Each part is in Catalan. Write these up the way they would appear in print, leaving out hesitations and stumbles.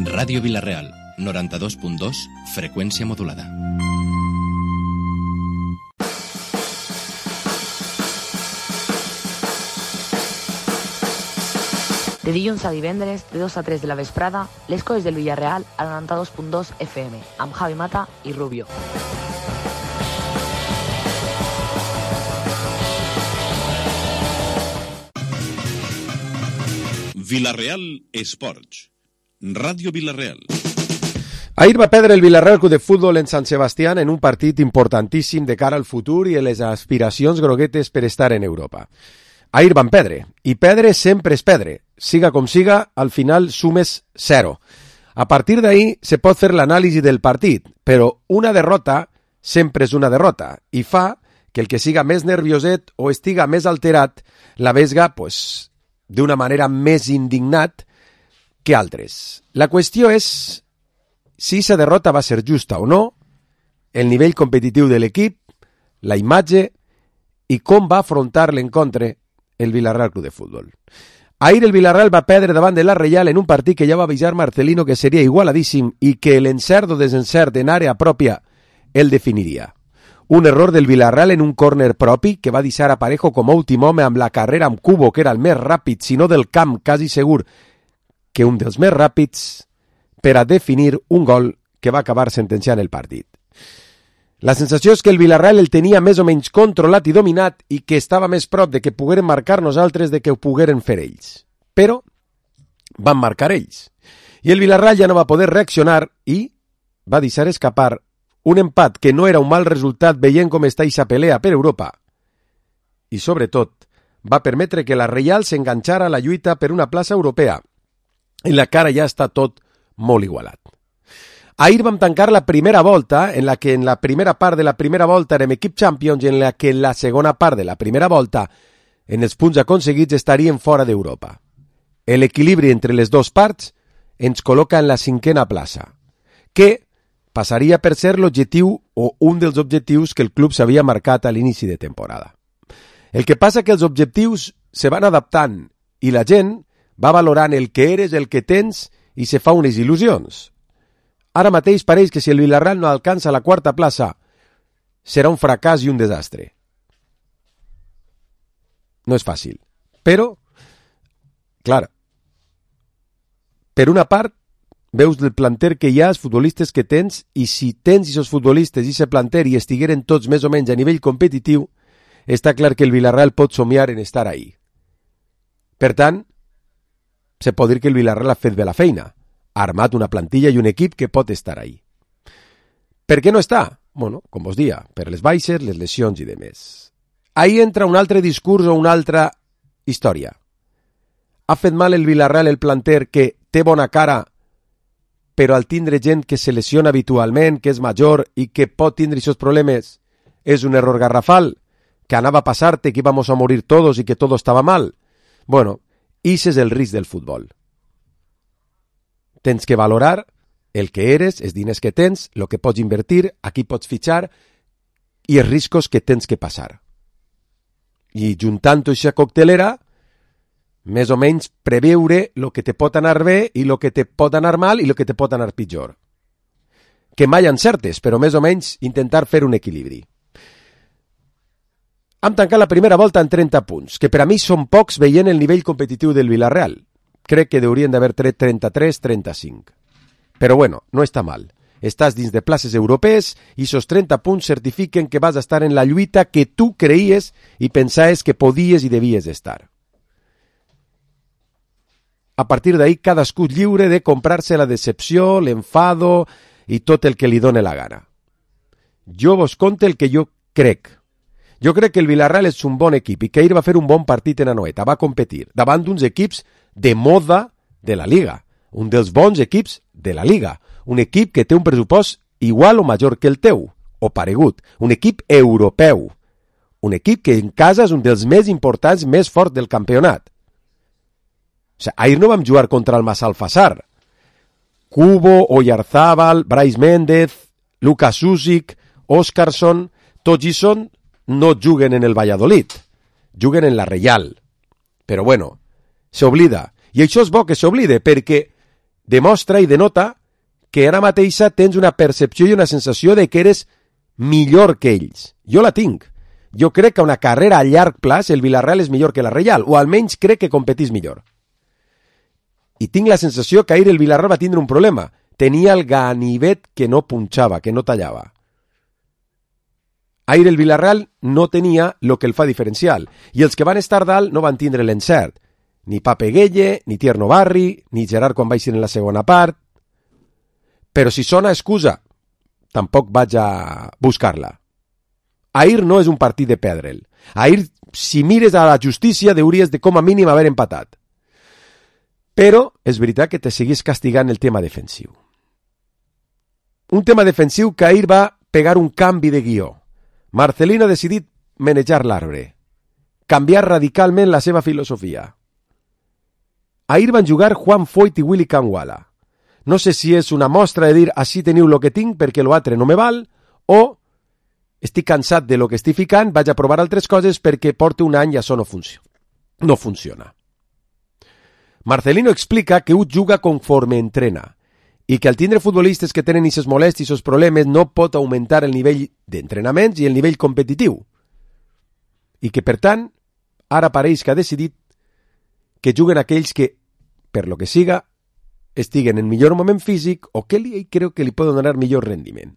Ràdio Vila-real, 92.2, freqüència modulada. De dilluns a divendres, de 2 a 3 de la vesprada, les coses del Villarreal a 92.2 FM, amb Javi Mata i Rubio. Vila-real Esports. Ràdio Vila-real. Ahir va perdre el Villarreal Club de Futbol en Sant Sebastián en un partit importantíssim de cara al futur i a les aspiracions groguetes per estar en Europa. Ahir van perdre, i perdre sempre és perdre. Siga com siga, al final sumes 0. A partir d'ahir se pot fer l'anàlisi del partit, però una derrota sempre és una derrota, i fa que el que siga més nervioset o estiga més alterat la vesga, d'una manera més indignat que altres. La qüestió és si aquesta derrota va ser justa o no, el nivell competitiu de l'equip, la imatge i com va afrontar l'encontre el Villarreal Club de Futbol. Ahir el Villarreal va perdre davant de la Reial en un partit que ja va avisar Marcelino que seria igualadíssim i que l'encert o desencert en àrea pròpia el definiria. Un error del Villarreal en un córner propi que va deixar a Parejo com a últim home amb la carrera amb Cubo, que era el més ràpid, si no del camp, quasi segur que un dels més ràpids, per a definir un gol que va acabar sentenciant el partit. La sensació és que el Villarreal el tenia més o menys controlat i dominat i que estava més prop de que pogueren marcar nosaltres de que ho pogueren fer ells. Però van marcar ells. I el Villarreal ja no va poder reaccionar i va deixar escapar un empat que no era un mal resultat veient com està aquesta pelea per Europa. I, sobretot, va permetre que la Reial s'enganxara a la lluita per una plaça europea, en la que ara ja està tot molt igualat. Ahir vam tancar la primera volta, en la que en la primera part de la primera volta érem equip Champions i en la que en la segona part de la primera volta, en els punts aconseguits, estaríem fora d'Europa. L'equilibri entre les dues parts ens col·loca en la 5a plaça, que passaria per ser l'objectiu o un dels objectius que el club s'havia marcat a l'inici de temporada. El que passa que els objectius se van adaptant i la gent va valorant el que eres, el que tens i se fa unes il·lusions. Ara mateix pareix que si el Villarreal no alcança la 4a plaça serà un fracàs i un desastre. No és fàcil. Però, clar, per una part, veus el planter que hi ha, els futbolistes que tens, i si tens aquests futbolistes i aquest planter i estigueren tots més o menys a nivell competitiu, està clar que el Villarreal pot somiar en estar ahí. Per tant, se pot dir que el Villarreal ha fet bé la feina, ha armat una plantilla i un equip que pot estar ahí. Per què no està? Bueno, com vos dia, per les baixes, les lesions i demés. Ahí entra un altre discurs o una altra història. Ha fet mal el Villarreal el planter que té bona cara, però al tindre gent que se lesiona habitualment, que és major i que pot tindre aquests problemes, és un error garrafal, que anava a passar-te, que íbamos a morir todos i que todo estava mal. Bueno, ese és el risc del futbol. Tens que valorar el que eres, els diners que tens, el que pots invertir, a qui pots fitxar i els riscos que tens que passar. I juntant aquesta coctelera, més o menys preveure el que te pot anar bé i el que te pot anar mal i el que te pot anar pitjor. Que mai encertes, però més o menys intentar fer un equilibri. Hem tancat la primera volta en 30 punts, que per a mi són pocs veient el nivell competitiu del Villarreal. Crec que haurien d'haver tret 33-35. Però bueno, no està mal. Estàs dins de places europees i esos 30 punts certifiquen que vas a estar en la lluita que tu creies i pensaves que podies i devies estar. A partir d'ahí, cadascú lliure de comprar-se la decepció, l'enfado i tot el que li dóna la gana. Jo vos conto el que jo crec. Jo crec que el Villarreal és un bon equip i que ahir va fer un bon partit en Anoeta, va competir davant d'uns equips de moda de la Liga, un dels bons equips de la Liga, un equip que té un pressupost igual o major que el teu, o paregut, un equip europeu, un equip que en casa és un dels més importants, més forts del campionat. O sigui, ahir no vam jugar contra el Massalfassar. Cubo, Oyarzábal, Brais Méndez, Lucas Susic, Óscarson, tots ells no juguen en el Valladolid, juguen en la Reial. Però bueno, s'oblida. I això és bo que s'oblide, perquè demostra i denota que ara mateixa tens una percepció i una sensació de que eres millor que ells. Jo la tinc. Jo crec que a una carrera a llarg plaç el Villarreal és millor que la Reial, o almenys crec que competís millor. I tinc la sensació que ahir el Villarreal va tindre un problema. Tenia el ganivet que no punxava, que no tallava. Ahir el Villarreal no tenia el que el fa diferencial, i els que van estar dalt no van tindre l'encert. Ni Pape Gueye, ni Tierno Barri, ni Gerard quan va eixir en la segona part. Però si sona excusa, tampoc vaig a buscar-la. Ahir no és un partit de perdre'l. Ahir, si mires a la justícia, hauries de com a mínim haver empatat. Però és veritat que te seguís castigant el tema defensiu. Un tema defensiu que ahir va pegar un canvi de guió. Marcelino ha decidit manejar l'arbre, canviar radicalment la seva filosofia. Ahir van jugar Juan Foyt i Willy Kangwala. No sé si és una mostra de dir així teniu el que tinc perquè l'altre no me val, o estic cansat de lo que estic ficant, vaig a provar altres coses perquè porto un any i això no funciona. Marcelino explica que ho juga conforme entrena i que al tindre futbolistes que tenen aquestes molèsties o problemes no pot augmentar el nivell d'entrenaments i el nivell competitiu. I que, per tant, ara pareix que ha decidit que juguen aquells que, per lo que siga, estiguen en millor moment físic o que creu que li poden donar millor rendiment.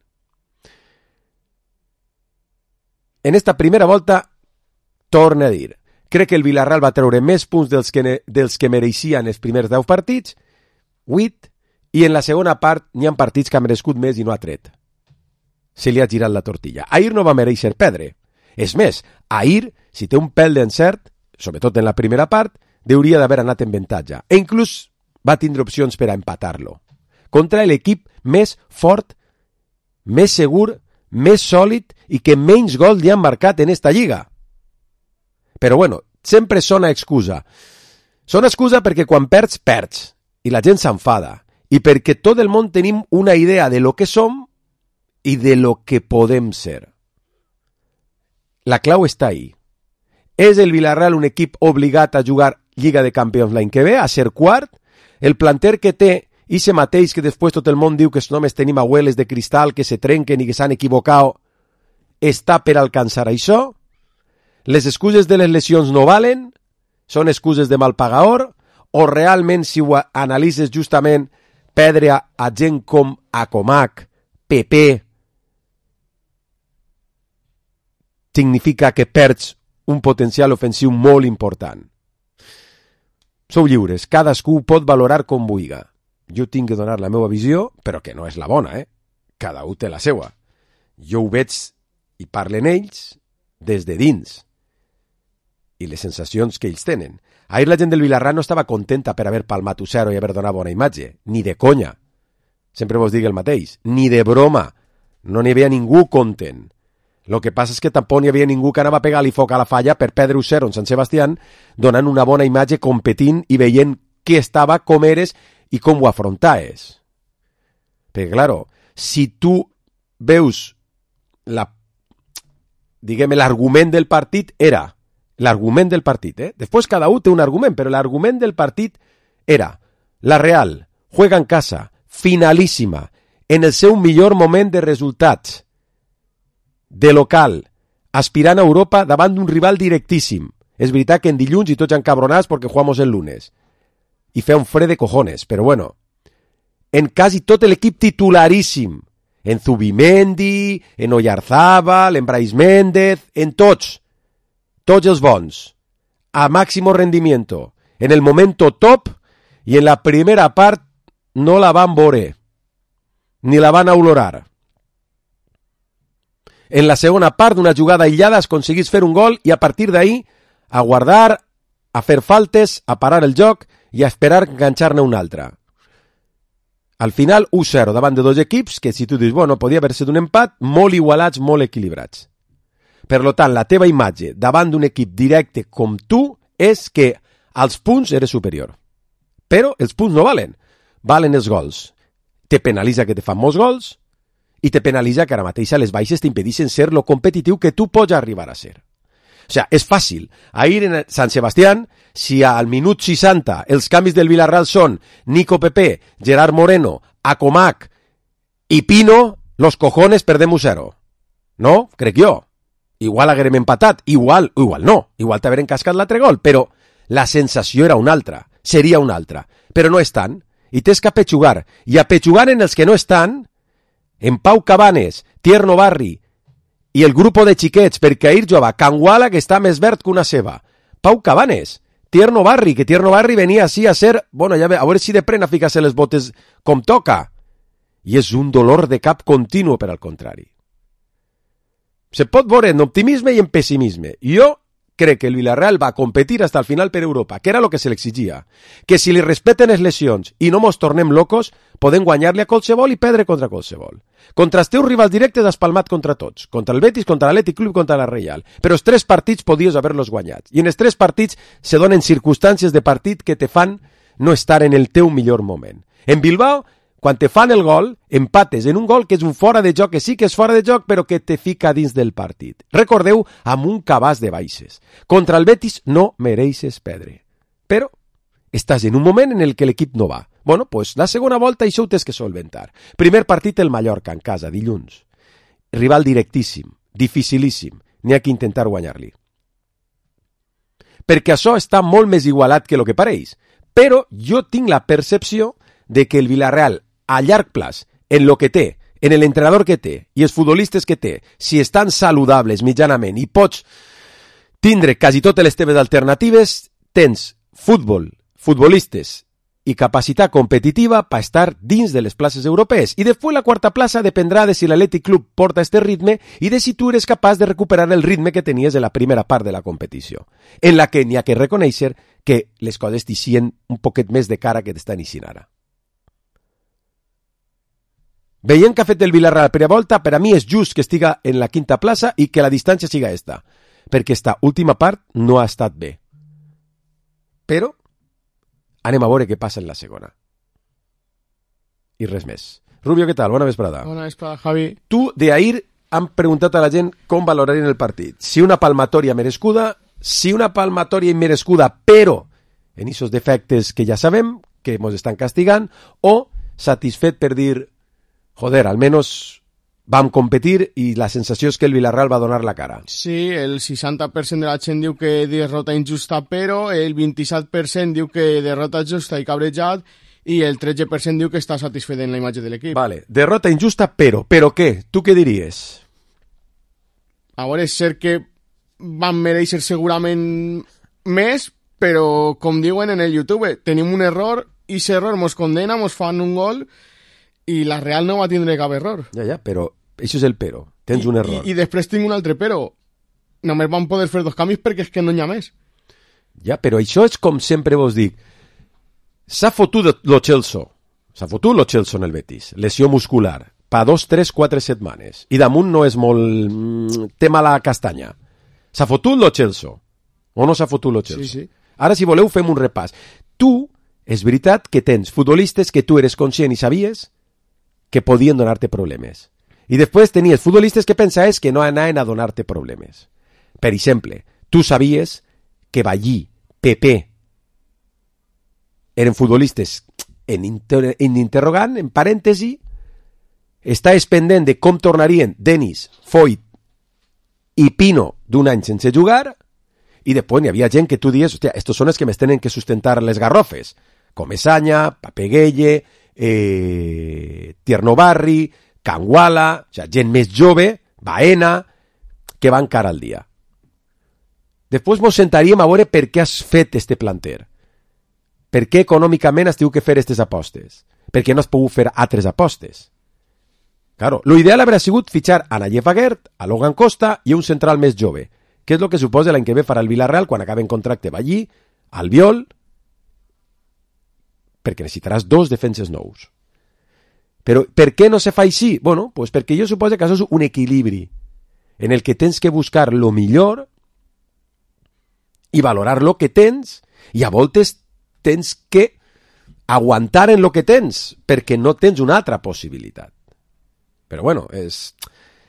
En esta primera volta, torna a dir, crec que el Villarreal va treure més punts dels que mereixien els primers 10 partits, 8, i en la segona part n'hi ha partits que ha merescut més i no ha tret. Se li ha girat la tortilla. Ahir no va mereixer perdre. És més, ahir, si té un pèl d'encert, sobretot en la primera part, hauria d'haver anat en avantatge. E inclús va tindre opcions per a empatar-lo. Contra l'equip més fort, més segur, més sòlid i que menys gols li han marcat en esta lliga. Però bueno, sempre sona excusa. Sona excusa perquè quan perds, perds. I la gent s'enfada. I perquè tot el món tenim una idea de lo que som i de lo que podem ser. La clau està ahí. És el Villarreal un equip obligat a jugar Lliga de Campions l'any que ve, a ser quart? El planter que té, i se mateix que després tot el món diu que només tenim abueles de cristal que se trenquen i que s'han equivocat, està per alcançar això? Les excuses de les lesions no valen? Són excuses de mal pagador? O realment, si ho analitzes justament, perdre a gent com Acomac, Pepe, significa que perds un potencial ofensiu molt important? Sou lliures, cadascú pot valorar com vulgui. Jo tinc que donar la meva visió, però que no és la bona, Cada un té la seva. Jo ho veig i parlen ells des de dins i les sensacions que ells tenen. Ahir la gent del Villarreal no estava contenta per haver palmat 1-0 i haver donat bona imatge, ni de conya. Sempre vos dic el mateix, ni de broma. No n'hi havia ningú content. El que passa és que tampoc n'hi havia ningú que anava a pegar-li foc a la falla per perdre 1-0 en Sant Sebastián, donant una bona imatge competint i veient qui estava, com eres i com ho afrontaves. Perquè, claro, si tu veus l'argument del partit era l'argument del partit, Després cada un té un argument, però l'argument del partit era la Real juega en casa, finalíssima, en el seu millor moment de resultats, de local, aspirant a Europa davant d'un rival directíssim. És veritat que en dilluns i tots encabronats perquè jugamos el lunes. I fe un fred de cojones, però bueno, en quasi tot l'equip titularíssim, en Zubimendi, en Oyarzábal, en Brais Méndez, en tots els bons, a máximo rendimiento, en el momento top, i en la primera part no la van veure, ni la van olorar. En la segona part, d'una jugada aïllada, aconseguís fer un gol i a partir d'ahí a guardar, a fer faltes, a parar el joc i a esperar enganxar-ne un altre. Al final, 1-0 davant de dos equips que, si tu dius, bueno, podia haver sigut un empat, molt igualats, molt equilibrats. Per tant, la teva imatge davant d'un equip directe com tu és que als punts eres superior. Però els punts no valen. Valen els gols. Te penalitza que te fan molts gols i te penalitza que ara mateix a les baixes t'impedeixen ser lo competitiu que tu pots arribar a ser. O sea, és fàcil. Ahir en Sant Sebastián, si al minut 60 els canvis del Villarreal són Nico Pepe, Gerard Moreno, Acomac i Pino, los cojones perdem 1-0. No? Crec jo. Igual haguérem empatat, igual no. Igual t'hagueren cascat l'altre gol, però la sensació era una altra, seria una altra. Però no estan, i tens que apetxugar. I apetxugar en els que no estan, en Pau Cabanes, Tierno Barri i el grup de xiquets, perquè ahir jove Canguala, que està més verd que una ceba. Pau Cabanes, Tierno Barri, que Tierno Barri venia així a ser, bueno, ja a veure si de pren a ficar-se les botes com toca. I és un dolor de cap continu per al contrari. Se pot veure en optimisme i en pessimisme. Jo crec que el Villarreal va competir hasta el final per Europa, que era el que se l'exigia. Que si li respeten les lesions i no mos tornem locos, podem guanyar-li a qualsevol i perdre contra qualsevol. Contra els teus rivals directes has palmat contra tots. Contra el Betis, contra l'Atlètic Club, contra la Reial. Però els 3 partits podies haver-los guanyats. I en els 3 partits se donen circumstàncies de partit que te fan no estar en el teu millor moment. En Bilbao, quan te fan el gol, empates en un gol que és un fora de joc, que sí que és fora de joc, però que te fica dins del partit. Recordeu, amb un cabàs de baixes. Contra el Betis no mereixes perdre. Però estàs en un moment en el que l'equip no va. Bueno, pues la segona volta això ho tens que solventar. Primer partit el Mallorca, en casa, dilluns. Rival directíssim, dificilíssim. N'hi ha que intentar guanyar-li. Perquè això està molt més igualat que el que pareix. Però jo tinc la percepció de que el Villarreal a llarg plaç, en lo que té, en l'entrenador que té i els futbolistes que té, si estan saludables mitjanament i pots tindre quasi totes les teves alternatives, tens futbolistes i capacitat competitiva per estar dins de les places europees. I després la quarta plaça dependrà de si l'Atlètic Club porta este ritme i de si tu eres capaç de recuperar el ritme que tenies en la primera part de la competició, en la que n'hi ha que reconèixer que les coses t'ixien un poquet més de cara que t'estan ixint ara. Veient que ha fet el Villarreal la primera volta, per a mi és just que estiga en la quinta plaça i que la distància siga esta, perquè esta última part no ha estat bé. Però anem a veure què passa en la segona. I res més. Rubio, què tal? Bona vesprada. Bona vesprada, Javi. Tu, d'ahir, han preguntat a la gent com valorarien el partit. Si una palmatòria merescuda, si una palmatòria immerescuda, però en aquests defectes que ja sabem, que ens estan castigant, o satisfet per dir joder, almenys vam competir i la sensació és que el Villarreal va donar la cara. Sí, el 60% de la gent diu que derrota injusta, però el 27% diu que derrota justa i cabrejat i el 13% diu que està satisfet en la imatge de l'equip. Vale, derrota injusta, però què? Tu què diries? A veure, és cert que van mereixer segurament més, però com diuen en el YouTube, tenim un error i aquest error mos condena, mos fan un gol i la Real no va tindre cap error. Ja, però això és el però. Tens un error. I després tinc un altre però. Només van poder fer 2 canvis perquè és que no n'hi ha més. Ja, però això és com sempre vos dic. S'ha fotut lo Chelsea. S'ha fotut lo Chelsea en el Betis. Lesió muscular. Pa 2, 3, 4 setmanes. I damunt no és molt... té mala castanya. S'ha fotut lo Chelsea. O no s'ha fotut lo Chelsea? Sí. Ara, si voleu, fem un repàs. Tu, és veritat que tens futbolistes que tu eres conscient i sabies que podien donar-te problemes. I després tenies futbolistes que pensaves que no anaven a donar-te problemes. Per exemple, tu sabies que Ballí, Pepe, eren futbolistes en interrogant, en parèntesi, estaves pendent de com tornarien Denis, Foyt i Pino d'un any sense jugar, i després n'hi havia gent que tu dies, hòstia, estos són els que m'estenen que sustentar les garrofes, Comesaña, Papeguelle, Tierno Barri, Canguala, o sigui, gent més jove, Baena, que van cara al dia. Després ens sentaríem a veure per què has fet este planter. Per què econòmicament has tingut que fer aquestes apostes. Per què no has pogut fer altres apostes. Claro, lo ideal hauria sigut fitxar a Nayef Aguert, a Logan Costa i un central més jove, que és el que suposa l'any que ve farà el Villarreal quan acabi en contracte Ballí, Albiol, perquè necessitaràs 2 defenses nous. Però per què no se fa així? Bueno, pues perquè jo suposo que això és un equilibri en el que tens que buscar lo millor i valorar lo que tens i a voltes tens que aguantar en lo que tens perquè no tens una altra possibilitat. Però bueno,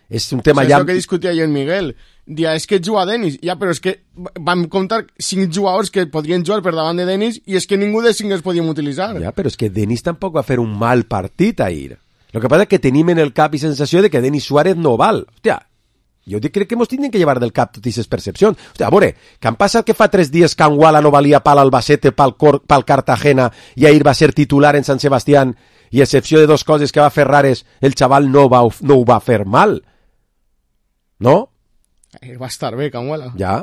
És un tema és ja... el que discutia jo en Miguel. Dia, és que juga Denis. Ja, però és que vam comptar 5 jugadors que podrien jugar per davant de Denis i és que ningú de 5 els podíem utilitzar. Ja, però és que Denis tampoc va fer un mal partit ahir. Lo que pasa es que tenim en el cap i sensació de que Denis Suárez no val. Hòstia, jo crec que mos tindrem que llevar del cap totes aquestes percepcions. Hòstia, a veure, que han passat que fa 3 dies que Anguala no valia pal Albacete, pal Cartagena, i ahir va ser titular en Sant Sebastián, i a excepció de 2 coses que va fer rares, el xaval no ho va fer mal. No? Va estar bé, Canguala. Ja.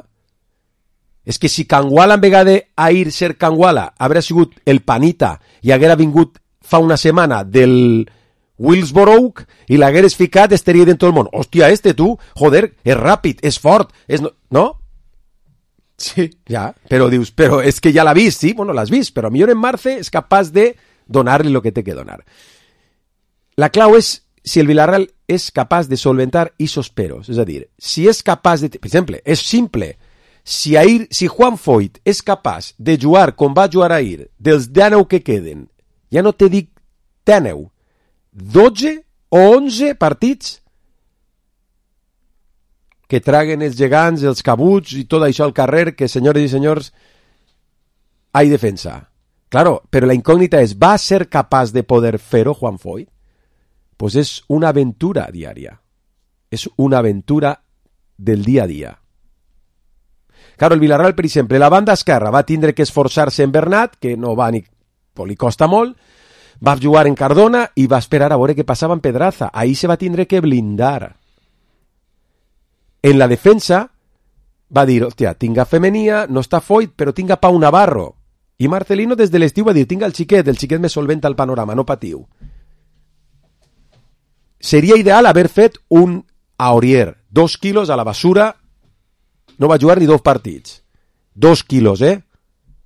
És que si Canguala en vegada d'ahir ser Canguala haguera sigut el Panita i haguera vingut fa una setmana del Willsborough i l'hagueres ficat, estaria dentro del món. Hòstia, tu, joder, és ràpid, és fort, és... No? Sí. Ja, però dius, però és que ja l'ha vist, sí? Bueno, l'has vist, però millor en Marce és capaç de donar-li el que té que donar. La clau és si el Villarreal és capaç de solventar esos peros, és a dir, si és capaç de... Per exemple, és simple, si Juan Foyt és capaç de jugar com va jugar ahir, dels 19 que queden, ja no te dic 19, 12 o 11 partits que traguen els gegants, els cabuts i tot això al carrer, que senyores i senyors, hay defensa. Claro, però la incògnita és, ¿va ser capaç de poder fer-ho Juan Foyt? Pues és una aventura diària. És una aventura del dia a dia. Claro, el Villarreal, per exemple, la banda esquerra va tindre que esforçar-se en Bernat, que no va ni... Pues li costa molt, va jugar en Cardona i va esperar a veure què passava en Pedraza. Ahí se va tindre que blindar. En la defensa va dir, hòstia, tinga Femenia, no està Foyt, però tinga Pau Navarro. I Marcelino des de l'estiu va dir, tinga el xiquet me solventa el panorama, no patiu. Seria ideal haver fet un Aurier, 2 quilos a la basura, no va jugar ni 2 partits. 2 quilos,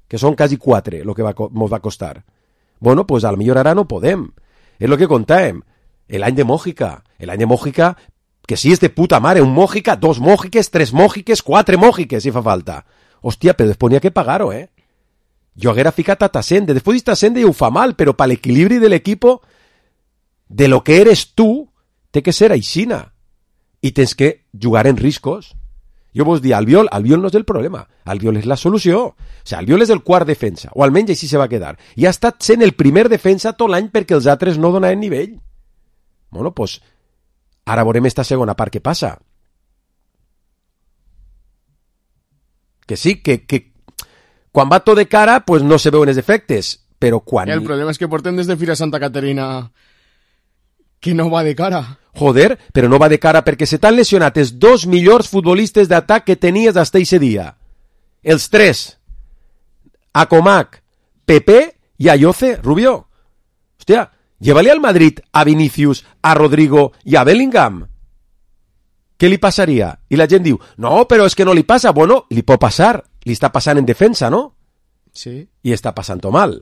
que són quasi 4, el que mos va costar. Bueno, pues a lo millor ara no podem. És el que contàvem. L'any de Mójica, que sí és de puta mare, un Mójica, 2 Mójiques, 3 Mójiques, 4 Mójiques, si fa falta. Hòstia, però després n'hi ha que pagar-ho, Jo haguera ficat a Tassende, després Tassende ja ho fa mal, però per l'equilibri de l'equipo, de lo que eres tu, té que ser aixina. I tens que jugar en riscos. Jo vos dir, Albiol no és el problema, Albiol és la solució. O sigui, Albiol és el quart defensa, o almenys així se va quedar. I ha estat sent el primer defensa tot l'any perquè els altres no donaven nivell. Bueno, pues, ara veurem esta segona part que passa. Que sí, que quan va tot de cara, pues no se veuen els efectes, però quan... El problema és que portem des de Fira Santa Caterina que no va de cara. Joder, però no va de cara perquè se t'han lesionat els 2 millors futbolistes d'atac que tenies hasta ese dia. Els 3. Acomac, Pepe i Ayoce, Rubio. Hòstia, llévale al Madrid a Vinicius, a Rodrigo i a Bellingham. Què li passaria? I la gent diu, no, però és que no li passa. Bueno, li pot passar. Li està passant en defensa, no? Sí. I està passant mal.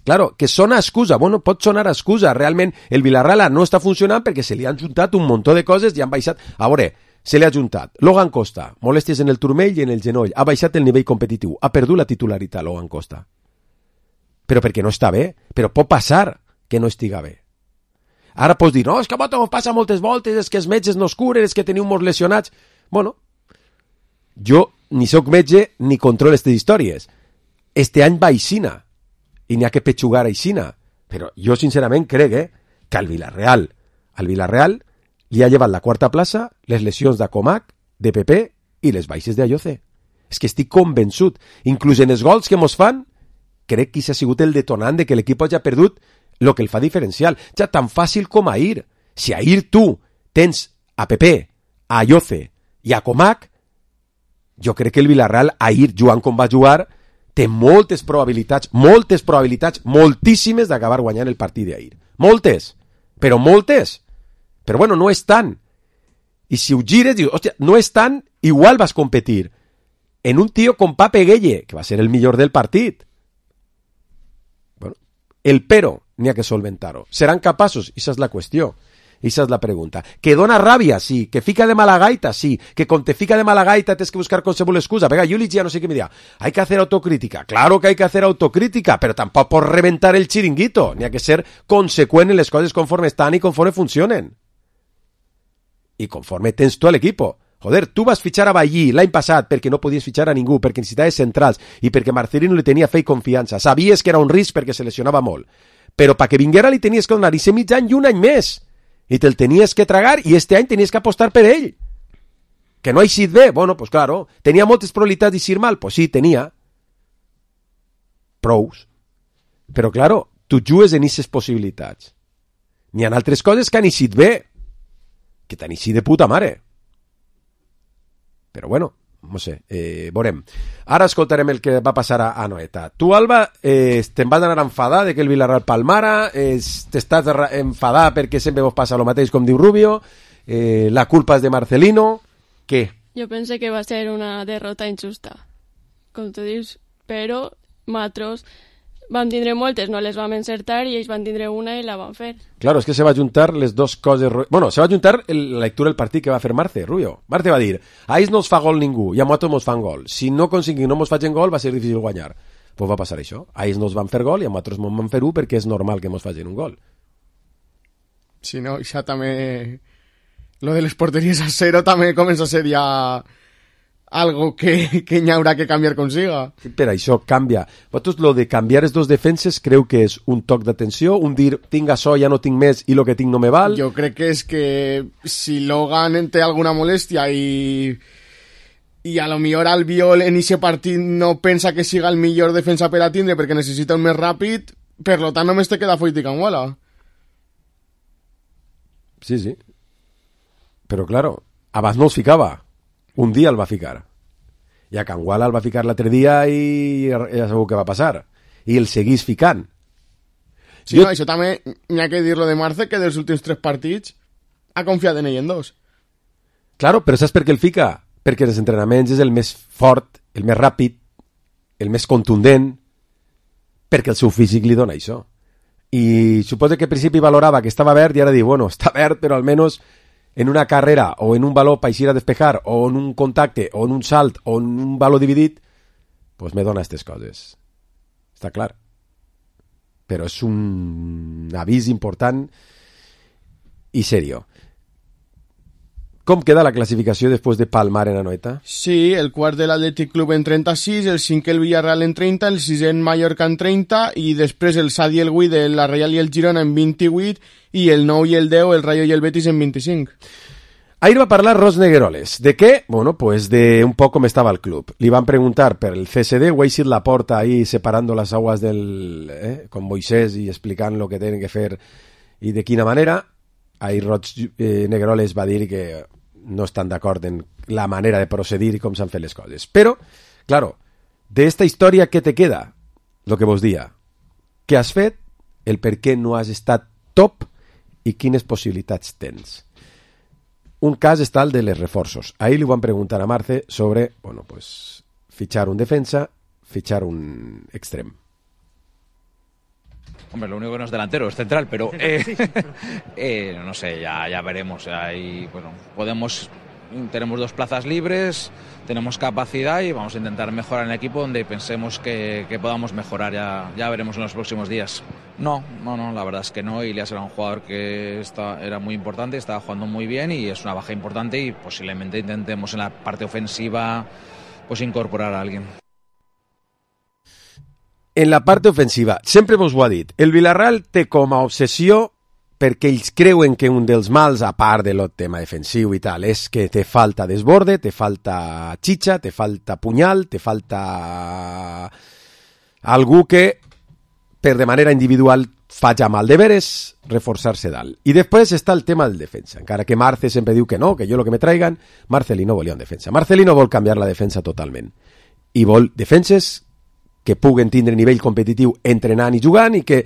Claro, que sona excusa. Bueno, pot sonar excusa. Realment, el Villarreal no està funcionant perquè se li han juntat un muntó de coses i han baixat... A veure, se li ha juntat Logan Costa, molèsties en el turmell i en el genoll. Ha baixat el nivell competitiu. Ha perdut la titularitat, Logan Costa. Però perquè no està bé. Però pot passar que no estiga bé. Ara pots dir, no, és que a vosaltres passa moltes voltes, és que els metges no es curen, és que teniu molts lesionats. Bueno, jo ni sóc metge ni controlo aquestes històries. Este any va aixina i n'hi ha que petxugar aixina. Però jo sincerament crec que al Villarreal li ha llevat la quarta plaça les lesions d'Acomac, de Pepe i les baixes d'Ayoce. És que estic convençut. Inclús en els gols que mos fan, crec que s'ha sigut el detonant de que l'equip hagi perdut el que el fa diferencial. Ja tan fàcil com ahir. Si ahir tu tens a Pepe, a Ayoce i a Comac, jo crec que el Villarreal ahir, jugant com va jugar, té moltes probabilitats, moltíssimes d'acabar guanyant el partit d'ahir. Moltes, però moltes. Però bueno, no és tant. I si ho gires, dius, hòstia, no és tant, igual vas competir en un tio com Pape Gueye, que va ser el millor del partit. Bueno, el pero n'hi ha que solventar-ho. Seran capaços? Esa és la qüestió. Esa és la pregunta. Que dona ràbia, sí. Que fica de mala gaita, sí. Que con te fica de mala gaita tienes que buscar qualsevol excusa. Venga, Júlich ya no sé qué me dirá. Hay que hacer autocrítica. Claro que hay que hacer autocrítica, pero tampoco por reventar el chiringuito. Ni hay que ser consecuent en les coses conforme estan i conforme funcionen. i conforme tens tu a l'equipo. Joder, tu vas fitxar a Ballí l'any passat perquè no podies fitxar a ningú, perquè necessitaves centrals i perquè Marcelino li tenia fe i confiança. Sabies que era un risc perquè se lesionava molt. Però perquè vinguera li tenies que donar i ser mig any i un any més. I te'l tenies que tragar i este any tenies que apostar per ell. Que no ha eixit bé? Bueno, pues claro. Tenia moltes probabilitats d'eixir mal? Pues sí, tenia. Prous. Però claro, tu jugues en aquestes possibilitats. N'hi ha altres coses que han eixit bé, que t'han eixit de puta mare. Però bueno, no sé, veurem. Ara escoltarem el que va passar a Anoeta. Tu, Alba, te'n vas anar a enfadar de que el Villarreal palmara, t'estàs enfadar perquè sempre vos passa el mateix com diu Rubio, la culpa és de Marcelino, què? Jo pense que va ser una derrota injusta, com tu dius, però nosaltres vam tindre moltes, no les vam encertar i ells van tindre una i la van fer. Claro, es que se va juntar les dos coses... Bueno, se va juntar la lectura del partit que va fer Marce, Rubio. Marce va dir, a ells no els fa gol ningú i a nosaltres mos fan gol. Si no aconseguim no mos facin gol va ser difícil guanyar. Pues va passar això. A ells no els van fer gol i a nosaltres mos van fer un perquè és normal que mos facin un gol. Si no, ja també... Lo de les porteries a cero també comença a ser ja... algo que n'hi haurà que canviar consiga. Per això canvia. Vosaltres, lo de canviar els dos defenses, creu que és un toc d'atenció, un dir, tinc això, ja no tinc més i lo que tinc no me val? Jo crec que és que si Logan té alguna molèstia i a lo millor Albiol en ese partit no pensa que siga el millor defensa per a tindre perquè necessita un més ràpid, per lo tant només te queda Foyt i Canguala. Sí, sí. Però, claro, abans no els ficava. Un dia el va ficar. I a Canguala el va ficar l'altre dia i ja sabeu què va passar. I el seguís ficant. Sí, no, això també n'hi ha que dir-lo de Marce, que dels últims 3 partits ha confiat en ell en 2. Claro, però saps per què el fica? Perquè els entrenaments és el més fort, el més ràpid, el més contundent, perquè el seu físic li dona això. I suposo que al principi valorava que estava verd i ara diu, bueno, està verd, però almenys en una carrera o en un baló para ir a despejar o en un contacte o en un salt o en un baló dividit, pues me dona aquestes coses. Està clar. Però és un avís important i serio. Com queda la classificació després de palmar en Anoeta? Sí, el quart de l'Atlètic Club en 36, el 5è el Villarreal en 30, el 6è en Mallorca en 30 i després el 7 i el 8 de la Reial i el Girona en 28 i el 9 i el 10 el Rayo i el Betis en 25. Ahir va parlar Ros Negueroles. ¿De qué? Bueno, pues de un poco cómo estaba el club. Le van a preguntar per el CSD, o Eixit Laporta ahí separando las aguas del... con Moisés y explicando lo que tienen que hacer y de quina manera. Ahir Ros Negueroles va dir que no estan d'acord en la manera de procedir i com s'han fet les coses. Però, claro, de esta història, què te queda? Lo que vos dia. Què has fet? El per què no has estat top i quines possibilitats tens. Un cas està el de les reforços. Ahir li van preguntar a Marce sobre, bueno, pues, fichar un defensa, fichar un extrem. Hombre, lo único que no es delantero, es central, pero no sé, ya veremos. Ahí, bueno, tenemos 2 plazas libres, tenemos capacidad y vamos a intentar mejorar en el equipo donde pensemos que podamos mejorar. Ya veremos en los próximos días. No, la verdad es que no. Ilias era un jugador que era muy importante, estaba jugando muy bien y es una baja importante y posiblemente intentemos en la parte ofensiva pues incorporar a alguien. En la part ofensiva, sempre vos ho ha dit, el Villarreal té com a obsessió, perquè ells creuen que un dels mals, a part del tema defensiu i tal, és que te falta desborde, te falta xitxa, te falta punyal, te falta algú que, per de manera individual, faci mal deberes, reforçar-se dalt. I després està el tema del defensa, encara que Marce sempre diu que no, que jo lo que me traigan, Marcelino volia un defensa. Marcelino vol canviar la defensa totalment. I vol defenses que puguen tindre nivell competitiu entrenant i jugant i que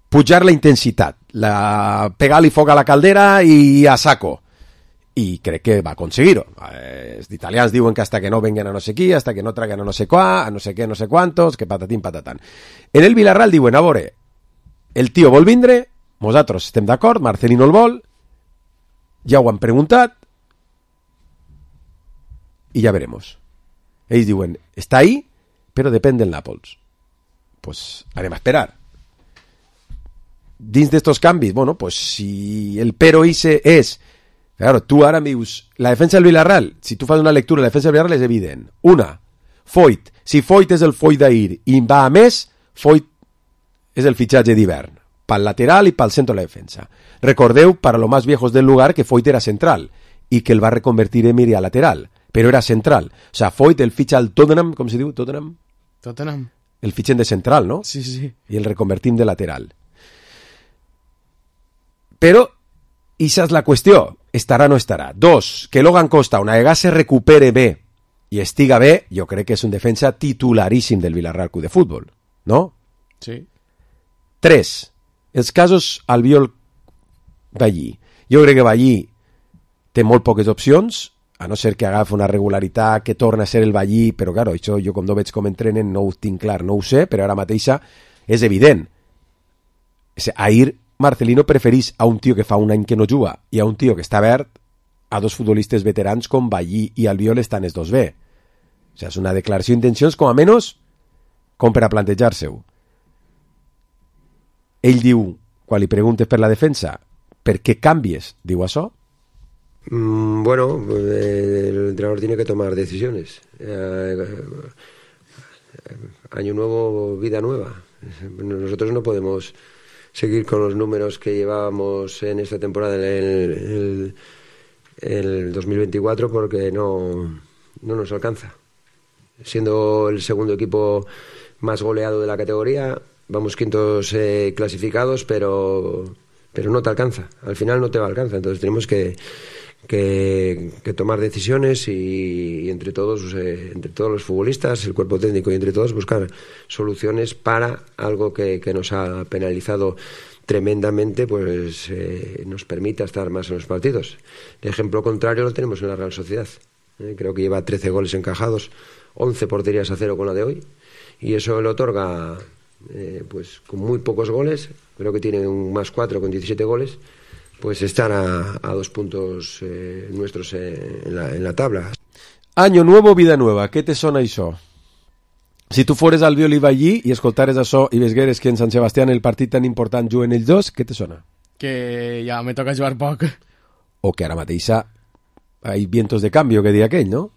pujar la intensitat, pegar-li foc a la caldera i a saco. I crec que va aconseguir-ho. Els italians diuen que hasta que no venguen a no sé qui, hasta que no traguen a no sé qua, a no sé què, no sé quantos, que patatín, patatán. En el Villarreal diuen, a veure, el tio vol vindre, nosaltres estem d'acord, Marcelino el vol, ja ho han preguntat, i ja veremos. Ells diuen, està ahí, però depèn del Nàpols. Pues anem a esperar. Dins d'estos canvis, bueno, pues si el pero ese és Claro, tu ara em dius, la defensa del Villarreal, si tu fas una lectura, la defensa del Villarreal és evident. Una, Foyt. Si Foyt és el Foyt d'ahir i va a més, Foyt és el fitxatge d'hivern, pel lateral i pel centre de la defensa. Recordeu, para los más viejos del lugar, que Foyt era central i que el va reconvertir Emery a lateral, però era central. O sea, Foyt el fitxa al Tottenham, com se diu? Tottenham? El fitxen de central, no? Sí. I el reconvertim de lateral. Però, esa és la qüestió. Estarà o no estarà. Dos, que Logan Costa, una vegada se recupere bé i estiga bé, jo crec que és un defensa titularíssim del Villarreal Club de Futbol, no? Sí. 3. Els casos Albiol Ballí. Jo crec que Ballí té molt poques opcions, a no ser que agafi una regularitat, que torna a ser el Ballí, però claro, això jo com no veig com entrenen no ho tinc clar, no ho sé, però ara mateixa és evident. Ahir Marcelino preferís a un tio que fa un any que no juga i a un tio que està verd a dos futbolistes veterans com Ballí i Albiol estan els dos bé. O sigui, és una declaració d'intencions com a menys com per a plantejar-se-ho. Ell diu, quan li preguntes per la defensa, per què canvies, diu això? Bueno, el entrenador tiene que tomar decisiones. Año nuevo, vida nueva. Nosotros no podemos seguir con los números que llevábamos en esta temporada el 2024 porque no nos alcanza. Siendo el segundo equipo más goleado de la categoría, vamos quintos clasificados, pero no te alcanza. Al final no te va a alcanzar. Entonces tenemos que tomar decisiones y entre todos los futbolistas, el cuerpo técnico y entre todos buscar soluciones para algo que nos ha penalizado tremendamente, pues nos permita estar más en los partidos. El ejemplo contrario lo tenemos en la Real Sociedad. Creo que lleva 13 goles encajados, 11 porterías a 0 con la de hoy, y eso le otorga pues con muy pocos goles, creo que tiene un +4 con 17 goles, pues estar a 2 puntos nuestros en la tabla. Año nuevo, vida nueva. Què te sona això? Si tu fores Albiol i Ballí i escoltares això i vesgueres que en Sant Sebastián el partit tan important juguen ells dos, què te sona? Que ja me toca jugar poc. O que ara mateixa hay vientos de cambio, que diria aquell, no?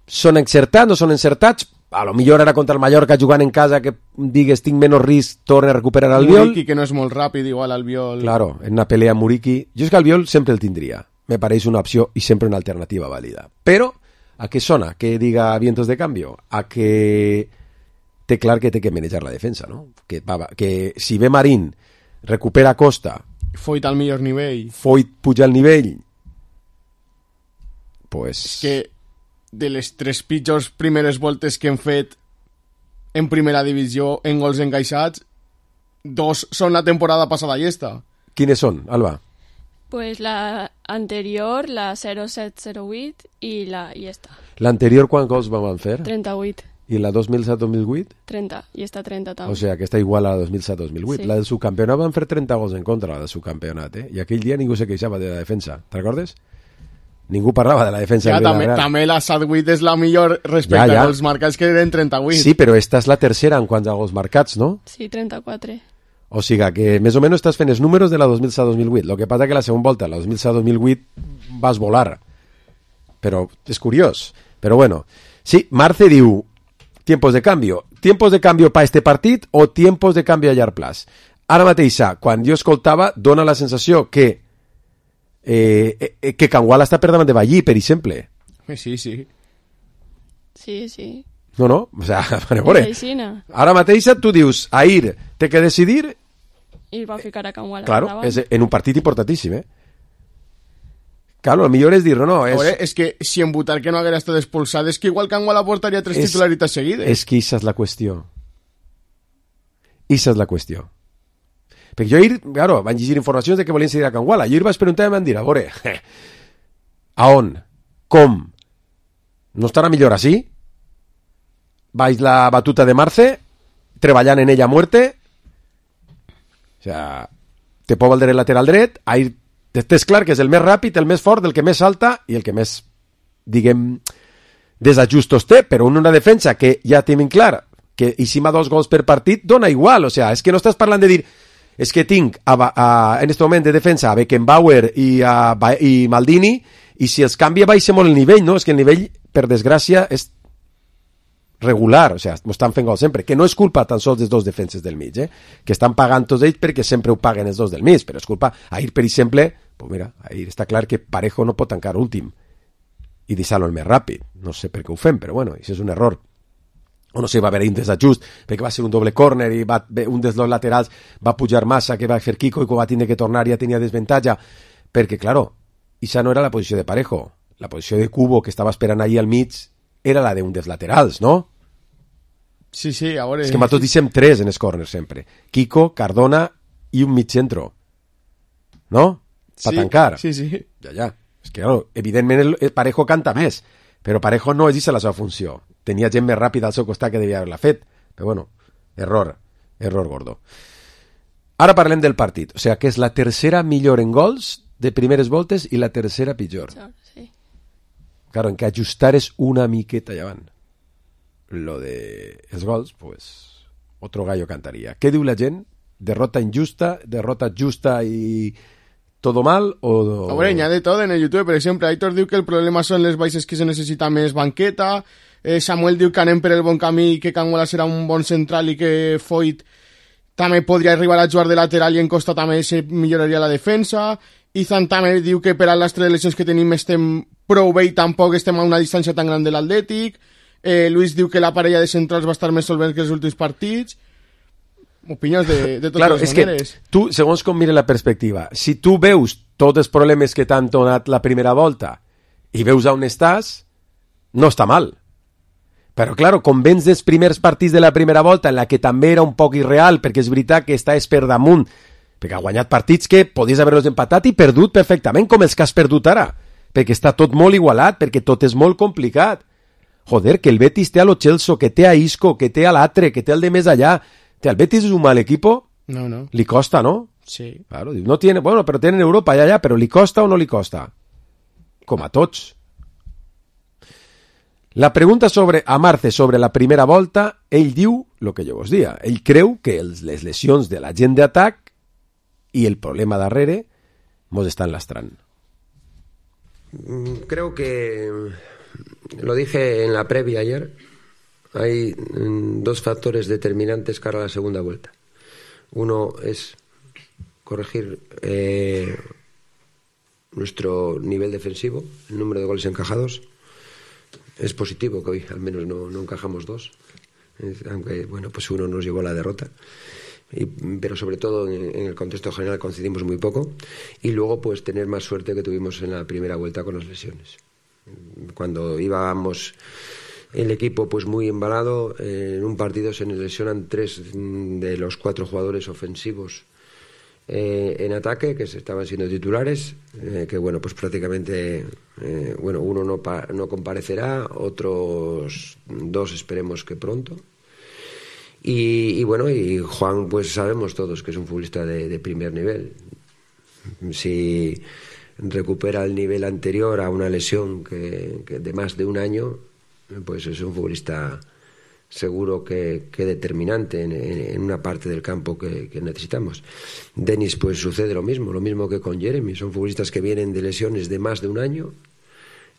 Són encertats, no són encertats? A lo millor ara contra el Mallorca jugant en casa que digues tinc menys risc, torna a recuperar Albiol. Muriqui, que no és molt ràpid, igual Albiol. Claro, en una pelea Muriqui. Jo és que Albiol sempre el tindria. Me pareix una opció i sempre una alternativa vàlida. Però, a què sona que diga vientos de cambio? A que té clar que té que manejar la defensa, no? Que si ve Marín, recupera Costa, Foyt al millor nivell. Foyt puja al nivell, pues... És que de les 3 pitjors primeres voltes que hem fet en primera divisió en gols encaixats, 2 són la temporada passada i esta. Quines són, Alba? Pues la anterior, la 07-08 i esta. L'anterior quants gols vam fer? 38. I la 2007-2008? 30, i esta 30 també. O sea, que està igual a la 2007-2008. Sí. La del subcampionat van fer 30 gols en contra, la del subcampionat, I aquell dia ningú se queixava de la defensa. Te'n recordes? Ningú parlava de la defensa del Villarreal. També la 7-8 és la millor respecte a gols marcats, que eren 38. Sí, però esta és la tercera en quant a gols marcats, no? Sí, 34. O sigui que més o menys estàs fent els números de la 2007-2008. Lo que passa que la segona volta, la 2007-2008, vas volar. Però és curiós. Però bueno, sí, Marce diu tiempos de cambio. Tiempos de cambio para este partit o tiempos de cambio a llarg plaç? Ara mateixa, quan jo escoltava, dona la sensació que Cangual està per davant de Ballí, per exemple. Sí. Sí. No? O sea, a veure. Ara mateixa tu dius, ahir té que decidir... I va ficar a Cangual. Claro, és en un partit importantíssim, Claro, el millor és dir, no, és... Veure, és que si en votar que no haguera estat expulsat, és que igual Cangual aportaria 3 titularitats seguides. És que esa és la qüestió. Esa és la qüestió. Perquè jo ahir, claro, van llegir informacions de que volien seguir a Canguala. Jo ahir vaig preguntar i em van dir, a veure, a on? Com? No estarà millor així? Vaig la batuta de Marce, treballant en ella a muerte. O sea, te pot valdre el lateral dret, ahir tens clar que és el més ràpid, el més fort, el que més salta i el que més, diguem, desajustos té, però en una defensa que ja tenim clar que si ma 2 gols per partit dona igual, o sea, és que no estàs parlant de dir és que tinc en aquest moment de defensa a Beckenbauer i Maldini, i si els canvia baixa molt el nivell, no? És que el nivell, per desgràcia, és regular, o sigui, m'ho estan fent gol sempre, que no és culpa tan sols dels dos defenses del mig, que estan pagant tots ells perquè sempre ho paguen els dos del mig, però és culpa, ahir, per exemple, pues mira, ahir està clar que Parejo no pot tancar últim i deixar-lo el més ràpid, no sé per què ho fem, però bueno, això és un error, o no sé, va haver un desajust, perquè va ser un doble córner i un dels dos laterals va pujar massa, que va fer Kiko, i quan va tindre que tornar ja tenia desventatge, perquè, claro, això no era la posició de Parejo, la posició de Cubo que estava esperant ahir al mig era la d'un dels laterals, no? Sí, sí, a veure... És que nosaltres deixem 3 en els corners sempre. Kiko, Cardona i un mig centro. No? Per tancar. Sí, sí. Ja. És que, claro, evidentment el Parejo canta més, però Parejo no és aquesta la seva funció. Tenia gent més ràpida al seu costat que devia haver-la fet. Però bueno, error gordo. Ara parlem del partit. O sigui, que és la tercera millor en gols de primeres voltes i la tercera pitjor. Sí. Claro, en que ajustar és una miqueta llevant. Lo de els gols, pues, otro gallo cantaría. ¿Qué diu la gent? ¿Derrota injusta? ¿Derrota justa y todo mal? O... Hombre, hi ha de tot en el YouTube. Per exemple, Aitor diu que el problema són les baixes, que se necessita més banqueta. Samuel diu que anem per el bon camí, que Canguela serà un bon central i que Foyt també podria arribar a jugar de lateral i en Costa també se milloraria la defensa. Izan també diu que per a les 3 lesions que tenim estem prou bé i tampoc estem a una distància tan gran de l'Atlètic. Luis diu que la parella de centrals va estar més solvent que els últims partits. Opinions de totes claro, les maneres. Que tu, segons com mires la perspectiva, si tu veus tots els problemes que t'han donat la primera volta i veus on estàs, no està mal. Però, claro, com vens dels primers partits de la primera volta, en la que també era un poc irreal, perquè és veritat que estàs per damunt, perquè ha guanyat partits que podies haver-los empatat i perdut perfectament, com els que has perdut ara, perquè està tot molt igualat, perquè tot és molt complicat. Joder, que el Betis té a lo Chelsea, que té a Isco, que té a l'altre, que té el de més allà. ¿El Betis es un mal equipo? No. Li costa, ¿no? Sí. Claro, no tiene, bueno, pero tienen Europa ya, pero ¿li costa o no li costa? Com a tots. La pregunta a Marce sobre la primera volta, ell diu el que jo vos dia. Ell creu que les lesions de la gent d'atac i el problema darrere mos estan lastrant. Creo que lo dije en la previa ayer, hay 2 factores determinantes cara a la segunda vuelta. Uno es corregir nuestro nivel defensivo, el número de goles encajados. Es positivo que hoy al menos no encajamos 2, aunque bueno, pues uno nos llevó a la derrota. Pero sobre todo en el contexto general coincidimos muy poco. Y luego pues tener más suerte que tuvimos en la primera vuelta con las lesiones. Cuando íbamos el equipo pues muy embalado, en un partido se nos lesionan 3 de los 4 jugadores ofensivos en ataque, que estaban siendo titulares, que bueno, pues prácticamente uno no comparecerá, otros 2 esperemos que pronto. Y bueno, y Juan pues sabemos todos que es un futbolista de primer nivel. Si recupera el nivel anterior a una lesión que de más de un año, pues es un futbolista seguro que determinante en una parte del campo que necesitamos. Denis pues sucede lo mismo que con Jeremy, son futbolistas que vienen de lesiones de más de un año.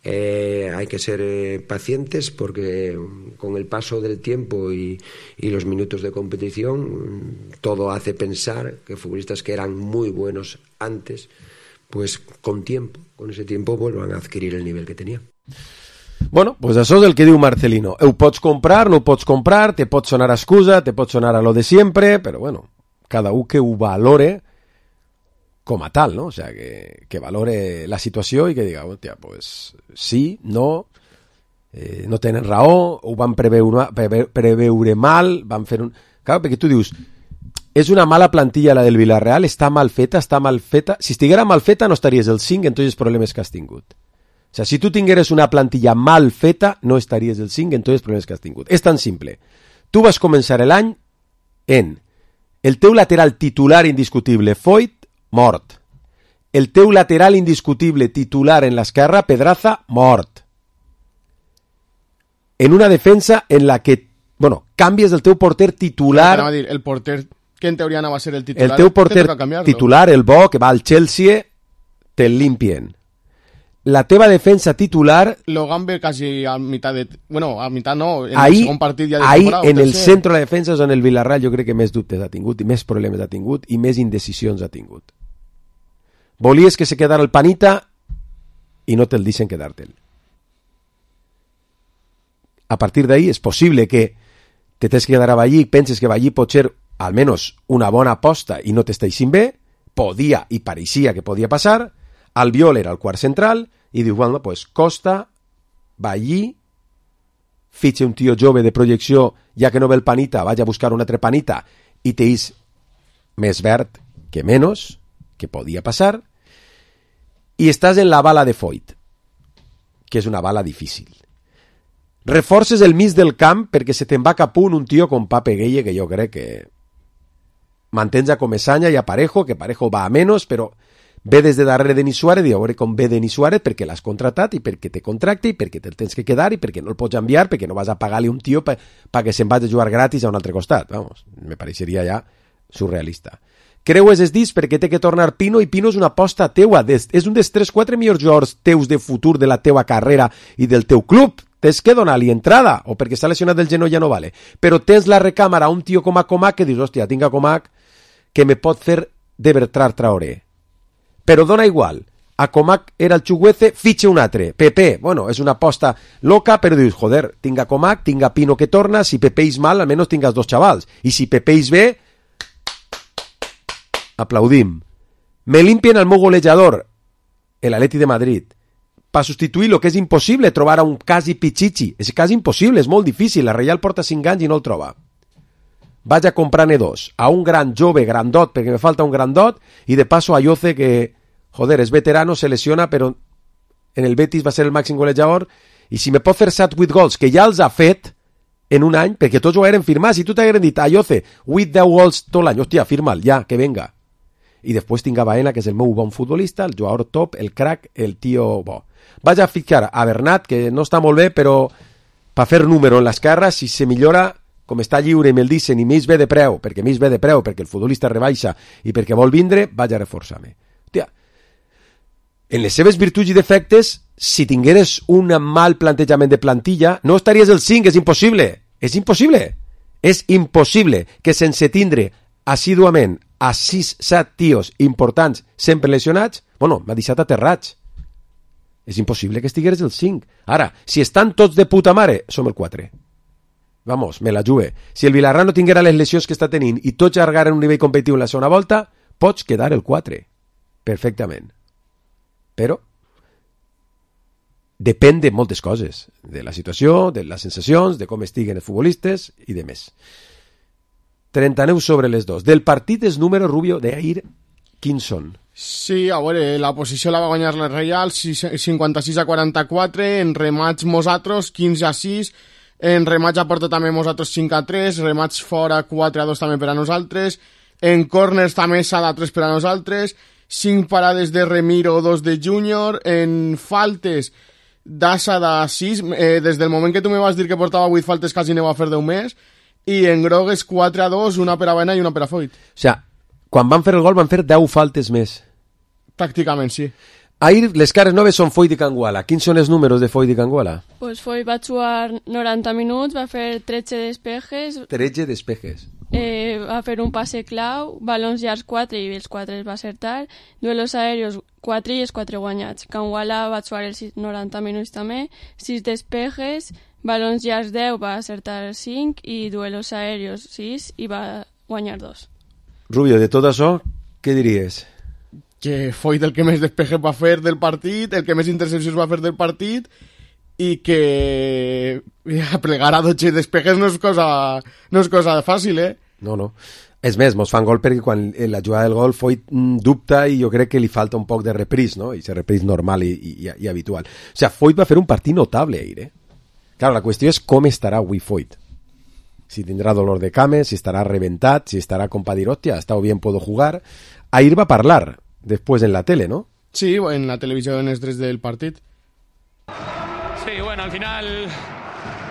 Hay que ser pacientes porque con el paso del tiempo y los minutos de competición todo hace pensar que futbolistas que eran muy buenos antes, pues con ese tiempo vuelvan a adquirir el nivel que tenían. Bueno, pues això és el que diu Marcelino. Ho pots comprar, no ho pots comprar, te pot sonar excusa, te pot sonar a lo de siempre, però bueno, cada un que ho valore com a tal, no? O sea, que valore la situació i que diga, hòstia, pues sí, no tenen raó, ho van preveure mal, van fer un... Clar, perquè tu dius, és una mala plantilla la del Villarreal, està mal feta. Si estiguera mal feta no estaries el 5 en tots els problemes que has tingut. O sea, si tu tingueres una plantilla mal feta, no estaries el 5 en tots els problemes que has tingut. És tan simple. Tu vas començar l'any en el teu lateral titular indiscutible, Foyt, mort. El teu lateral indiscutible titular en l'esquerra, Pedraza, mort. En una defensa en la que, bueno, canvies el teu porter titular... Dir, el porter que en teoria anava a ser el titular, el teu porter titular, el bo, que va al Chelsea, te'l limpien. La teva defensa titular... Logan ve casi a mitad de... Bueno, a mitad no, en ahí, el segon partit ja de ahí, temporada. en el centre de la defensa és on el Villarreal jo crec que més dubtes ha tingut, i més problemes ha tingut, i més indecisions ha tingut. Volies que se quedara el Panita i no te'l deixen quedar-te'l. A partir d'ahí és possible que te tens que quedar a Vallí, penses que Vallí pot ser almenys una bona aposta i no t'esteixin bé, podia i pareixia que podia passar. Albiol era el quart central i diu, bueno, pues Costa va allí, fitxa un tio jove de projecció, ja que no ve el Panita, vaig a buscar un altre Panita i t'eix més verd que menys, que podia passar, i estàs en la bala de Foyt, que és una bala difícil. Reforces el mig del camp perquè se te'n va cap un tio com Pape Gueye, que jo crec que mantens a Comesaña i a Parejo, que Parejo va a menos, però ve des de darrere de Denis Suárez, i a veure com ve Denis Suárez, perquè l'has contratat, i perquè te contracte, i perquè te'l tens que quedar, i perquè no el pots enviar, perquè no vas a pagar-li un tio perquè se'n vagi a jugar gratis a un altre costat. Vamos, me pareixeria ja surrealista. Creues es dis perquè té que tornar Pino, i Pino és una aposta teua, és un dels 3-4 millors jugadors teus de futur de la teua carrera i del teu club. Tens que donar-li entrada, o perquè està lesionat del genoll ja no vale, però tens la recàmera a un tio com a Comac que dius, hòstia, tinc a Comac que me pot fer de Bertrand Traoré. Però dona igual, a Comac era el Chuguece, fitxa un altre, Pepe, bueno, és una aposta loca, però dius, joder, tinc a Comac, tinc a Pino que torna, si Pepe és mal, almenys tingues dos xavals, i si Pepe és bé, aplaudim. Me limpien el meu golejador, l'Atleti de Madrid, per substituir el que és impossible, trobar a un quasi Pichichi, és quasi impossible, és molt difícil, la Reial porta 5 anys i no el troba. Vaig a comprar-ne dos, a un gran jove grandot, perquè me falta un grandot, i de paso a Yoce, que, joder, és veterano, se lesiona, però en el Betis va ser el màxim golejador, i si me pot fer 7-8 gols, que ja els ha fet en un any, perquè tots ho hagueren firmat, si tu t'hagueren dit, a Yoce, 8-10 gols tot l'any, hòstia, firma'l, ja, que venga. I després tinc a Baena, que és el meu bon futbolista, el jugador top, el crack, el tio bo. Vaig a ficar a Bernat, que no està molt bé, però per fer número en l'esquerra, si se millora, com està lliure i me'l dicen, i més ve de preu, perquè el futbolista rebaixa i perquè vol vindre, vaig a reforçar-me. Hòstia, en les seves virtuts i defectes, si tingueres un mal plantejament de plantilla, no estaries el 5, és impossible. És impossible. És impossible que sense tindre assíduament a 6-7 tios importants sempre lesionats, bueno, m'ha deixat aterrats. És impossible que estigueres el 5. Ara, si estan tots de puta mare, som el 4. Vamos, me la jugue. Si el Villarreal no tinguera les lesions que està tenint i tots allargaren un nivell competitiu en la segona volta, pots quedar el 4. Perfectament. Però depèn de moltes coses. De la situació, de les sensacions, de com estiguen els futbolistes i de més. 39 sobre les 2. Del partit és número, Rubio, d'ahir, quins són? Sí, a veure, la posició la va guanyar la Reial, 56-44, en remats nosaltres, 15-6, en remats a porta també nosaltres 5-3, remats fora 4-2 també per a nosaltres, en corners també 7-3 per a nosaltres, 5 parades de Remiro, 2 de Júnior, en faltes d'Assa de 6, des del moment que tu me vas dir que portava 8 faltes quasi aneu a fer 10 més, i en grogues 4-2, una per a Baena i una per a Foyt. O sigui, quan van fer el gol van fer 10 faltes més. Pràcticament, sí. Ahir les cares noves són Foyt i Canguala. Quins són els números de Foyt i Canguala? Pues Foyt va jugar 90 minuts, va fer 13 despejes. 13 despejes. Va fer un passe clau, balons llargs 4 i els 4 els va acertar, duelos aèrios 4 i els 4 guanyats. Canguala va jugar els 90 minuts també, 6 despejes, balons llargs 10, va acertar 5 i duelos aèrios 6 i va guanyar 2. Rubio, de tot això, què diries? Que Foyt el que més despejes va fer del partit, el que més intercepcions va fer del partit, i que plegar a 12 despejes no és cosa fàcil, eh? No. És més, mos fan gol perquè quan la jugada del gol Foyt dubta i jo crec que li falta un poc de repris, no? I se repris normal i habitual. O sigui, Foyt va fer un partit notable ahir, eh? Claro, la qüestió és com estarà avui Foyt. Si tindrà dolor de cames, si estarà reventat, si estarà com pa dir, hòstia, ha estado bien, puedo jugar. Ahir va parlar, después en la tele, ¿no? Sí, en la televisión es desde el partido. Sí, bueno, al final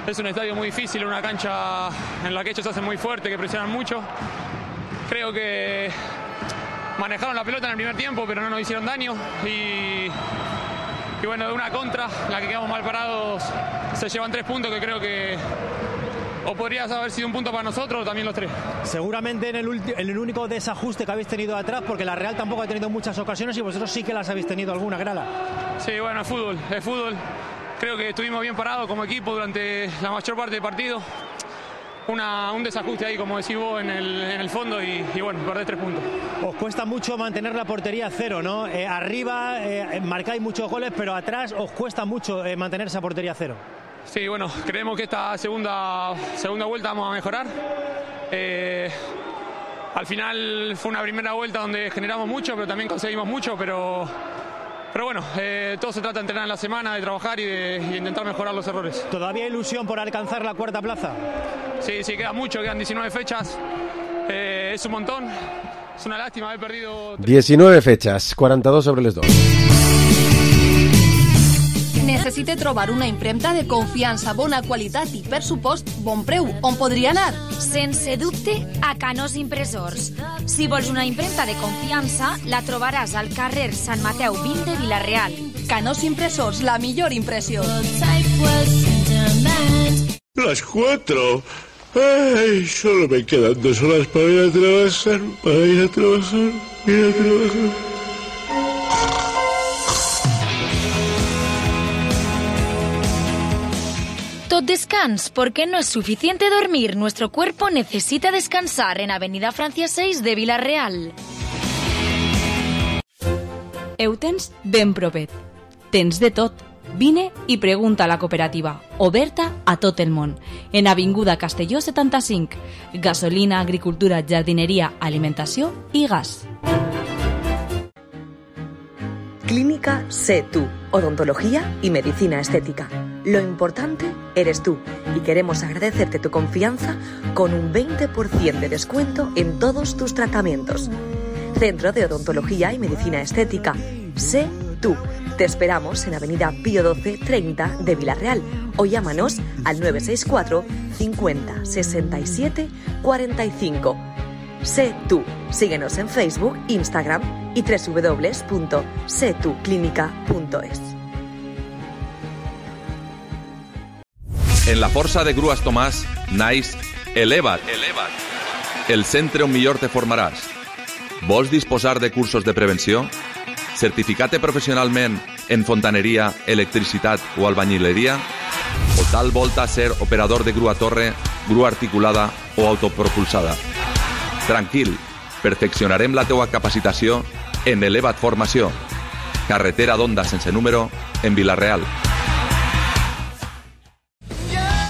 es un estadio muy difícil, una cancha en la que ellos hacen muy fuerte, que presionan mucho. Creo que manejaron la pelota en el primer tiempo, pero no nos hicieron daño. Y bueno, de una contra, la que quedamos mal parados, se llevan 3 puntos que creo que o podría haber sido un punto para nosotros o también los 3. Seguramente en el único desajuste que habéis tenido atrás, porque la Real tampoco ha tenido muchas ocasiones y vosotros sí que las habéis tenido alguna, Grala. Sí, bueno, es fútbol. Creo que estuvimos bien parados como equipo durante la mayor parte del partido. Un desajuste ahí, como decís vos, en el fondo y bueno, perdés 3 puntos. Os cuesta mucho mantener la portería a cero, ¿no? Arriba marcáis muchos goles, pero atrás os cuesta mucho mantener esa portería a cero. Sí, bueno, creemos que esta segunda vuelta vamos a mejorar. Al final fue una primera vuelta donde generamos mucho, pero también conseguimos mucho, pero bueno, todo se trata de entrenar en la semana, de trabajar y de intentar mejorar los errores. ¿Todavía hay ilusión por alcanzar la 4ª plaza? Sí, queda mucho, quedan 19 fechas. Es un montón, es una lástima haber perdido... 19 fechas, 42 sobre les 2. Necessite trobar una impremta de confiança, bona qualitat i, per supost, bon preu. On podria anar? Sense dubte, a Canós Impressors. Si vols una impremta de confiança, la trobaràs al carrer Sant Mateu 20 de Vila-real. Canós Impressors, la millor impressió. Las 4. Ay, solo me quedan 2 horas para ir a trabajar. Tot descans, porque no es suficiente dormir. Nuestro cuerpo necesita descansar en Avenida Francia 6 de Vila-real. Ho tens ben propet. Tens de tot. Vine i pregunta a la cooperativa, oberta a tot el món. En Avinguda Castelló 75. Gasolina, agricultura, jardineria, alimentació i gas. Clínica Sé Tú, odontología y medicina estética. Lo importante eres tú y queremos agradecerte tu confianza con un 20% de descuento en todos tus tratamientos. Centro de Odontología y Medicina Estética. Sé Tú. Te esperamos en Avenida Pío 12 30 de Vila-real o llámanos al 964 50 67 45. Sé Tú. Síguenos en Facebook, Instagram y www.setuclinica.es. En la força de Grues Tomàs naix Eleva't, el centre on millor te formaràs. Vols disposar de cursos de prevenció? Certificat professionalment en fontaneria, electricitat o albañileria? O tal volta ser operador de grua torre, grua articulada o autopropulsada? Tranquil, perfeccionarem la teua capacitació en Eleva't Formació. Carretera d'Onda sense número en Vila-real.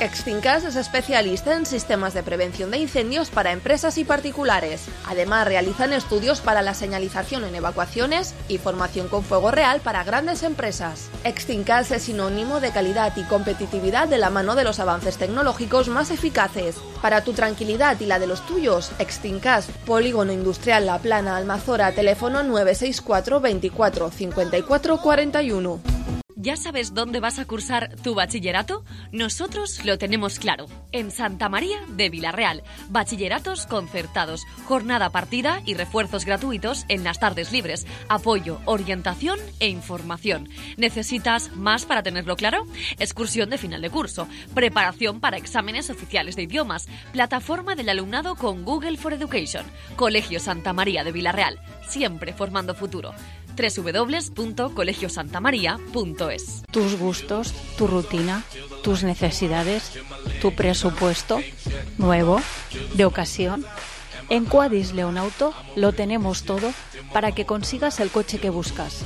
Extincas es especialista en sistemas de prevención de incendios para empresas y particulares. Además, realizan estudios para la señalización en evacuaciones y formación con fuego real para grandes empresas. Extincas es sinónimo de calidad y competitividad de la mano de los avances tecnológicos más eficaces. Para tu tranquilidad y la de los tuyos, Extincas, Polígono Industrial La Plana, Almazora, teléfono 964 24 54 41. ¿Ya sabes dónde vas a cursar tu bachillerato? Nosotros lo tenemos claro. En Santa María de Vila-real. Bachilleratos concertados, jornada partida y refuerzos gratuitos en las tardes libres. Apoyo, orientación e información. ¿Necesitas más para tenerlo claro? Excursión de final de curso. Preparación para exámenes oficiales de idiomas. Plataforma del alumnado con Google for Education. Colegio Santa María de Vila-real. Siempre formando futuro. www.colegiosantamaria.es. Tus gustos, tu rutina, tus necesidades, tu presupuesto, nuevo, de ocasión. En Quadis Leonauto lo tenemos todo para que consigas el coche que buscas.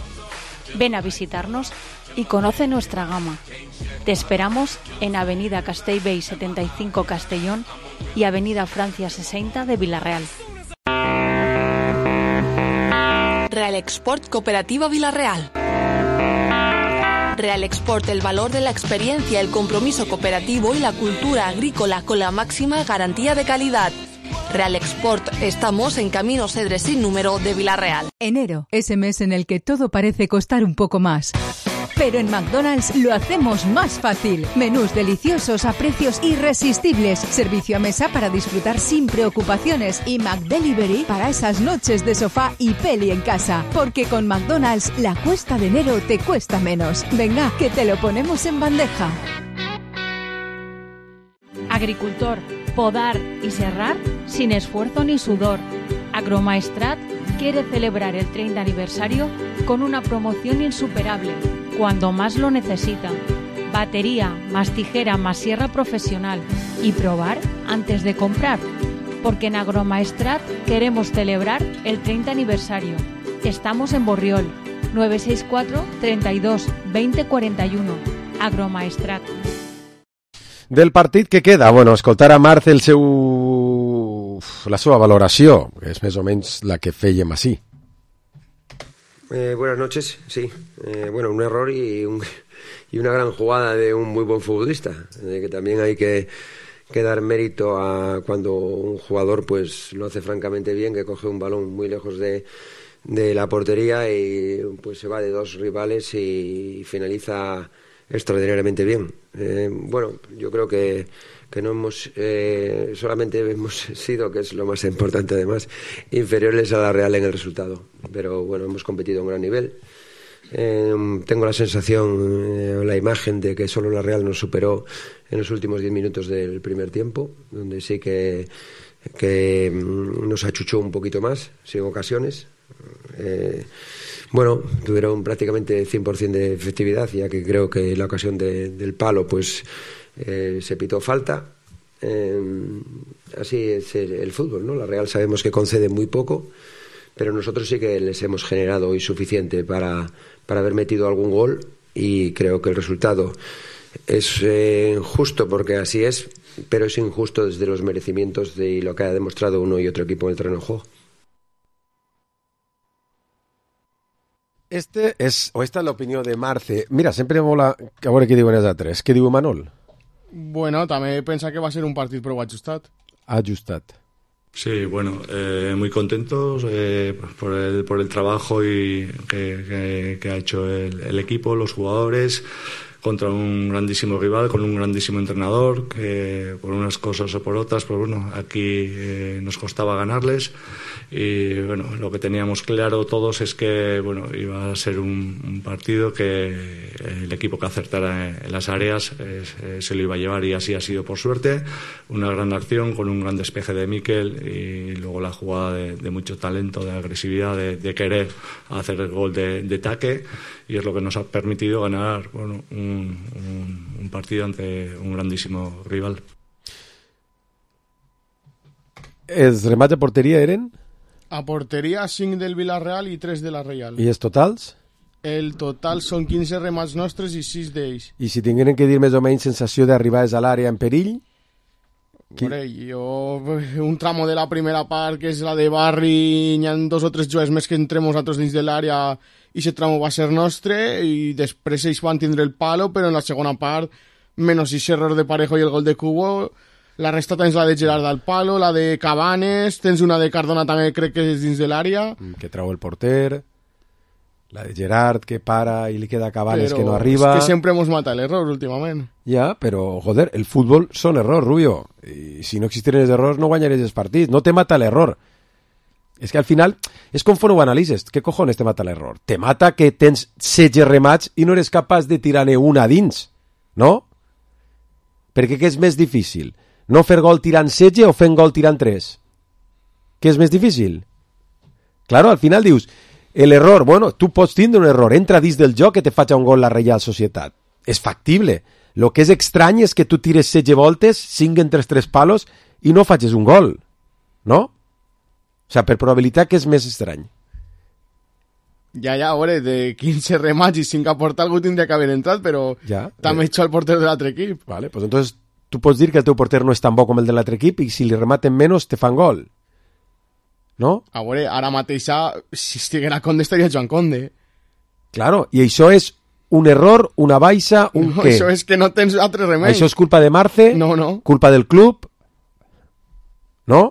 Ven a visitarnos y conoce nuestra gama. Te esperamos en Avenida Castellbell 75 Castellón y Avenida Francia 60 de Vila-real. Real Export Cooperativa Vila-real. Real Export, el valor de la experiencia, el compromiso cooperativo y la cultura agrícola con la máxima garantía de calidad. Real Export, estamos en Camino Cedres sin número de Vila-real. Enero, ese mes en el que todo parece costar un poco más. Pero en McDonald's lo hacemos más fácil. Menús deliciosos a precios irresistibles, servicio a mesa para disfrutar sin preocupaciones y McDelivery para esas noches de sofá y peli en casa. Porque con McDonald's la cuesta de enero te cuesta menos. Venga, que te lo ponemos en bandeja. Agricultor, podar y serrar sin esfuerzo ni sudor. Agromaestrat quiere celebrar el 30 aniversario con una promoción insuperable, cuando más lo necesita. Batería, más tijera, más sierra profesional y probar antes de comprar. Porque en Agromaestrat queremos celebrar el 30 aniversario. Estamos en Borriol, 964 32 20 41. Agromaestrat. Del partit que queda, bueno, escoltar a Marc la seva valoració, que és més o menys la que fèiem així. Buenas noches, sí. Bueno, un error y una gran jugada de un muy buen futbolista, que también hay que dar mérito a cuando un jugador pues lo hace francamente bien, que coge un balón muy lejos de la portería y pues se va de dos rivales y finaliza extraordinariamente bien. Bueno, yo creo que no hemos solamente hemos sido, que es lo más importante además, inferiores a la Real en el resultado, pero bueno, hemos competido a un gran nivel. Tengo la sensación, la imagen de que solo la Real nos superó en los últimos 10 minutos del primer tiempo, donde sí que nos achuchó un poquito más, sin ocasiones. Bueno, tuvieron prácticamente 100% de efectividad, ya que creo que la ocasión del palo pues se pitó falta. Así es el fútbol, ¿no? La Real sabemos que concede muy poco, pero nosotros sí que les hemos generado hoy suficiente para haber metido algún gol, y creo que el resultado es justo porque así es, pero es injusto desde los merecimientos de lo que ha demostrado uno y otro equipo en el terreno de juego. Esta és l'opinió de Marce. Mira, sempre mola a veure què diuen els altres. Què diu Manol? Bueno, també pensa que va ser un partit prou ajustat. Ajustat. Sí, bueno, muy contentos por el trabajo que ha hecho el equipo, los jugadores, contra un grandísimo rival, con un grandísimo entrenador, que por unas cosas o por otras, pues bueno, aquí nos costaba ganarles. Y bueno, lo que teníamos claro todos es que bueno, iba a ser un partido que el equipo que acertara en las áreas se lo iba a llevar, y así ha sido por suerte. Una gran acción con un gran despeje de Mikel, y luego la jugada de mucho talento, de agresividad, de querer hacer el gol de taque, y es lo que nos ha permitido ganar bueno, un partido ante un grandísimo rival. Els remats de porteria eren? A porteria 5 del Villarreal i 3 de la Reial. I els totals? El total són 15 remats nostres i 6 d'ells. I si tingueren que dir més o menys sensació d'arribar a l'àrea en perill? Un tramo de la primera part, que és la de Barri, hi ha 2 o 3 jugadors més que entrem nosaltres dins de l'àrea, i aquest tramo va ser nostre, i després ells van tindre el palo, però en la segona part, menys aquest error de Parejo i el gol de Cubo, la resta tens la de Gerard al palo, la de Cabanes, tens una de Cardona també, crec que és dins de l'àrea. Que trau el porter, la de Gerard que para i li queda Cabanes que no arriba. És que sempre hemos matat l'error últimament. Ja, però, joder, el futbol són errors, Rubio. I si no existiren els errors no guanyaries els partits. No te mata l'error. És que al final, és com ho analitzes. Què cojones te mata l'error? Te mata que tens 16 remats i no eres capaç de tirar-ne una dins, no? Perquè què és més difícil? No fer gol tirant 16 o fent gol tirant 3? Què és més difícil? Claro, al final dius, l'error, bueno, tu pots tindre un error, entra dins del joc que te faci un gol la Reial Societat. És factible. Lo que és estrany és que tu tires 16 voltes, 5 entre 3 palos i no facis un gol, no? O sigui, per probabilitat que és més estrany. Ja, a veure, de 15 remats i 5 a portar algú tindria que haver entrat, però ja, també eixo el porter de l'altre equip. Vale, pues entonces tu pots dir que el teu porter no és tan bo com el de l'altre equip i si li rematen menys te fan gol. No? A veure, ara mateix, si estiguera Conde estaria Joan Conde. Claro, i això és un error, una baixa, un no, què? Això és que no tens altre remei. Això és culpa de Marce? No. Culpa del club? No?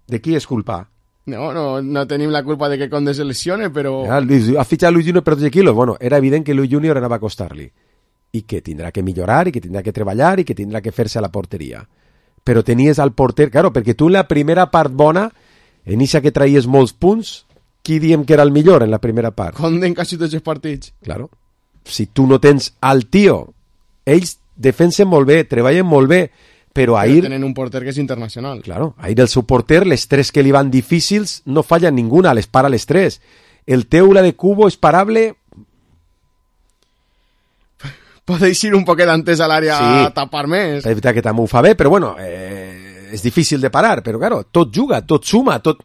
De qui és culpa? No tenim la culpa de que Conde se lesione, però... Ha fitxat Luis Junior per 12 quilos. Bueno, era evident que Luis Junior anava a costar-li. I que tindrà que millorar, i que tindrà que treballar, i que tindrà que fer-se a la porteria. Però tenies al porter... Claro, perquè tu en la primera part bona, en ixa que traies molts punts, qui diem que era el millor en la primera part? Conde en quasi tots els partits. Claro. Si tu no tens al tio, ells defensen molt bé, treballen molt bé, però ahir... Tenen un porter que és internacional. Claro, ahir el seu porter, les tres que li van difícils, no fallen ninguna, les para les tres. El teu, la de Cubo, és parable... Podeu ir un poquet antes a l'àrea a tapar més. És veritat que també ho fa bé, però bueno, és difícil de parar, però claro, tot juga, tot suma, tot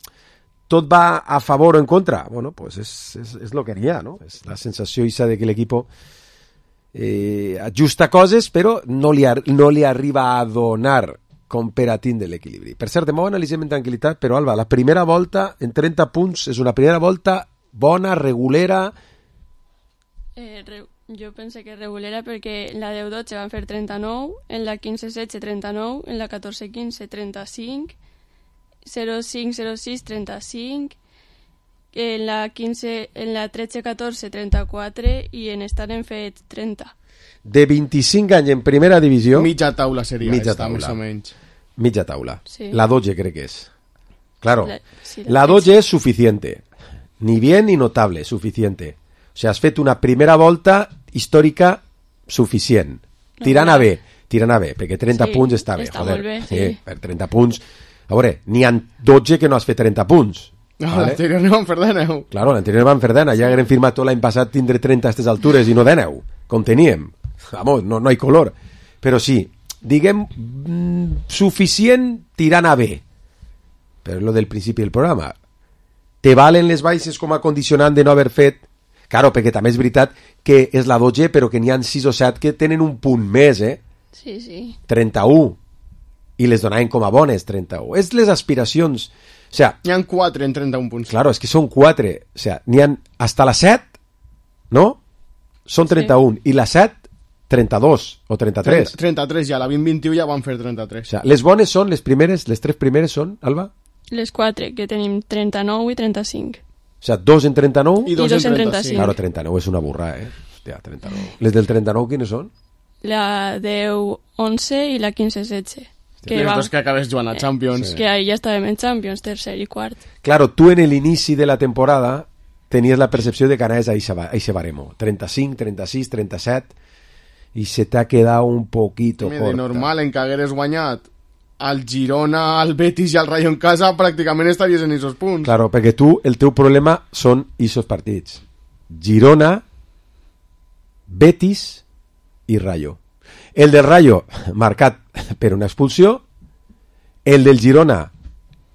va a favor o en contra. Bueno, pues és lo que n'hi ha, no? És la sensació esa de que l'equipo ajusta coses, però no li arriba a donar com per a tindre l'equilibri. Per cert, demà ho analitzem en tranquil·litat, però Alba, la primera volta en 30 punts és una primera volta bona, regulera... Jo pense que regulera perquè en la 10-12 van fer 39, en la 15-16 39, en la 14-15 35, 0-5-0-6 35, en la 13-14 34 i en estar en fet 30. De 25 anys en primera divisió... Mitja taula seria mitja esta, taula. més o menys. Mitja taula. Sí. La 12 crec que és. Claro, Sí, la 12 es suficiente. Ni bien ni notable, suficiente. O sea, has fet una primera volta històrica suficient. Tirant a bé, perquè 30 punts està bé, està joder. molt bé, sí. Per 30 punts... A veure, n'hi ha 12 que no has fet 30 punts. No, vale? L'anterior no van fer 10. Claro, l'anterior van fer 10. Ja haguem firmat tot l'any passat tindre 30 a aquestes altures i no 10, com teníem. Vamos, no hi color. Però sí, diguem, suficient tirant a bé. Però és lo del principi del programa. Te valen les baixes com a condicionant de no haver fet... Claro, perquè també és veritat que és la 12, però que n'hi ha 6 o 7 que tenen un punt més, Sí, sí. 31. I les donaven com a bones, 31. És les aspiracions. O sea, n'hi ha 4 en 31 punts. Claro, és que són 4. O sea, n'hi ha hasta la 7, ¿no? Són 31. I la 7, 32 o 33. 33 ja, la 20-21 ja van fer 33. O sea, les bones són, les tres primeres són, Alba? Les 4, que tenim 39 i 35. O sea, 2 en 39 i 2 en 35. Claro, 39 és una burra, Hòstia, 39. Les del 39 quines són? La 10-11 i la 15-16. Les dos que acabes jugant a Champions. Que ahí ja estàvem en Champions, tercer i quart. Claro, tu en l'inici de la temporada tenies la percepció de que anaves a ese baremo. 35, 36, 37 i se t'ha quedat un poquito corta. De normal, en que hagueres guanyat al Girona, al Betis i al Rayo en casa, pràcticament estaries en esos punts. Claro, perquè tu, el teu problema són esos partits. Girona, Betis i Rayo. El del Rayo, marcat per una expulsió. El del Girona,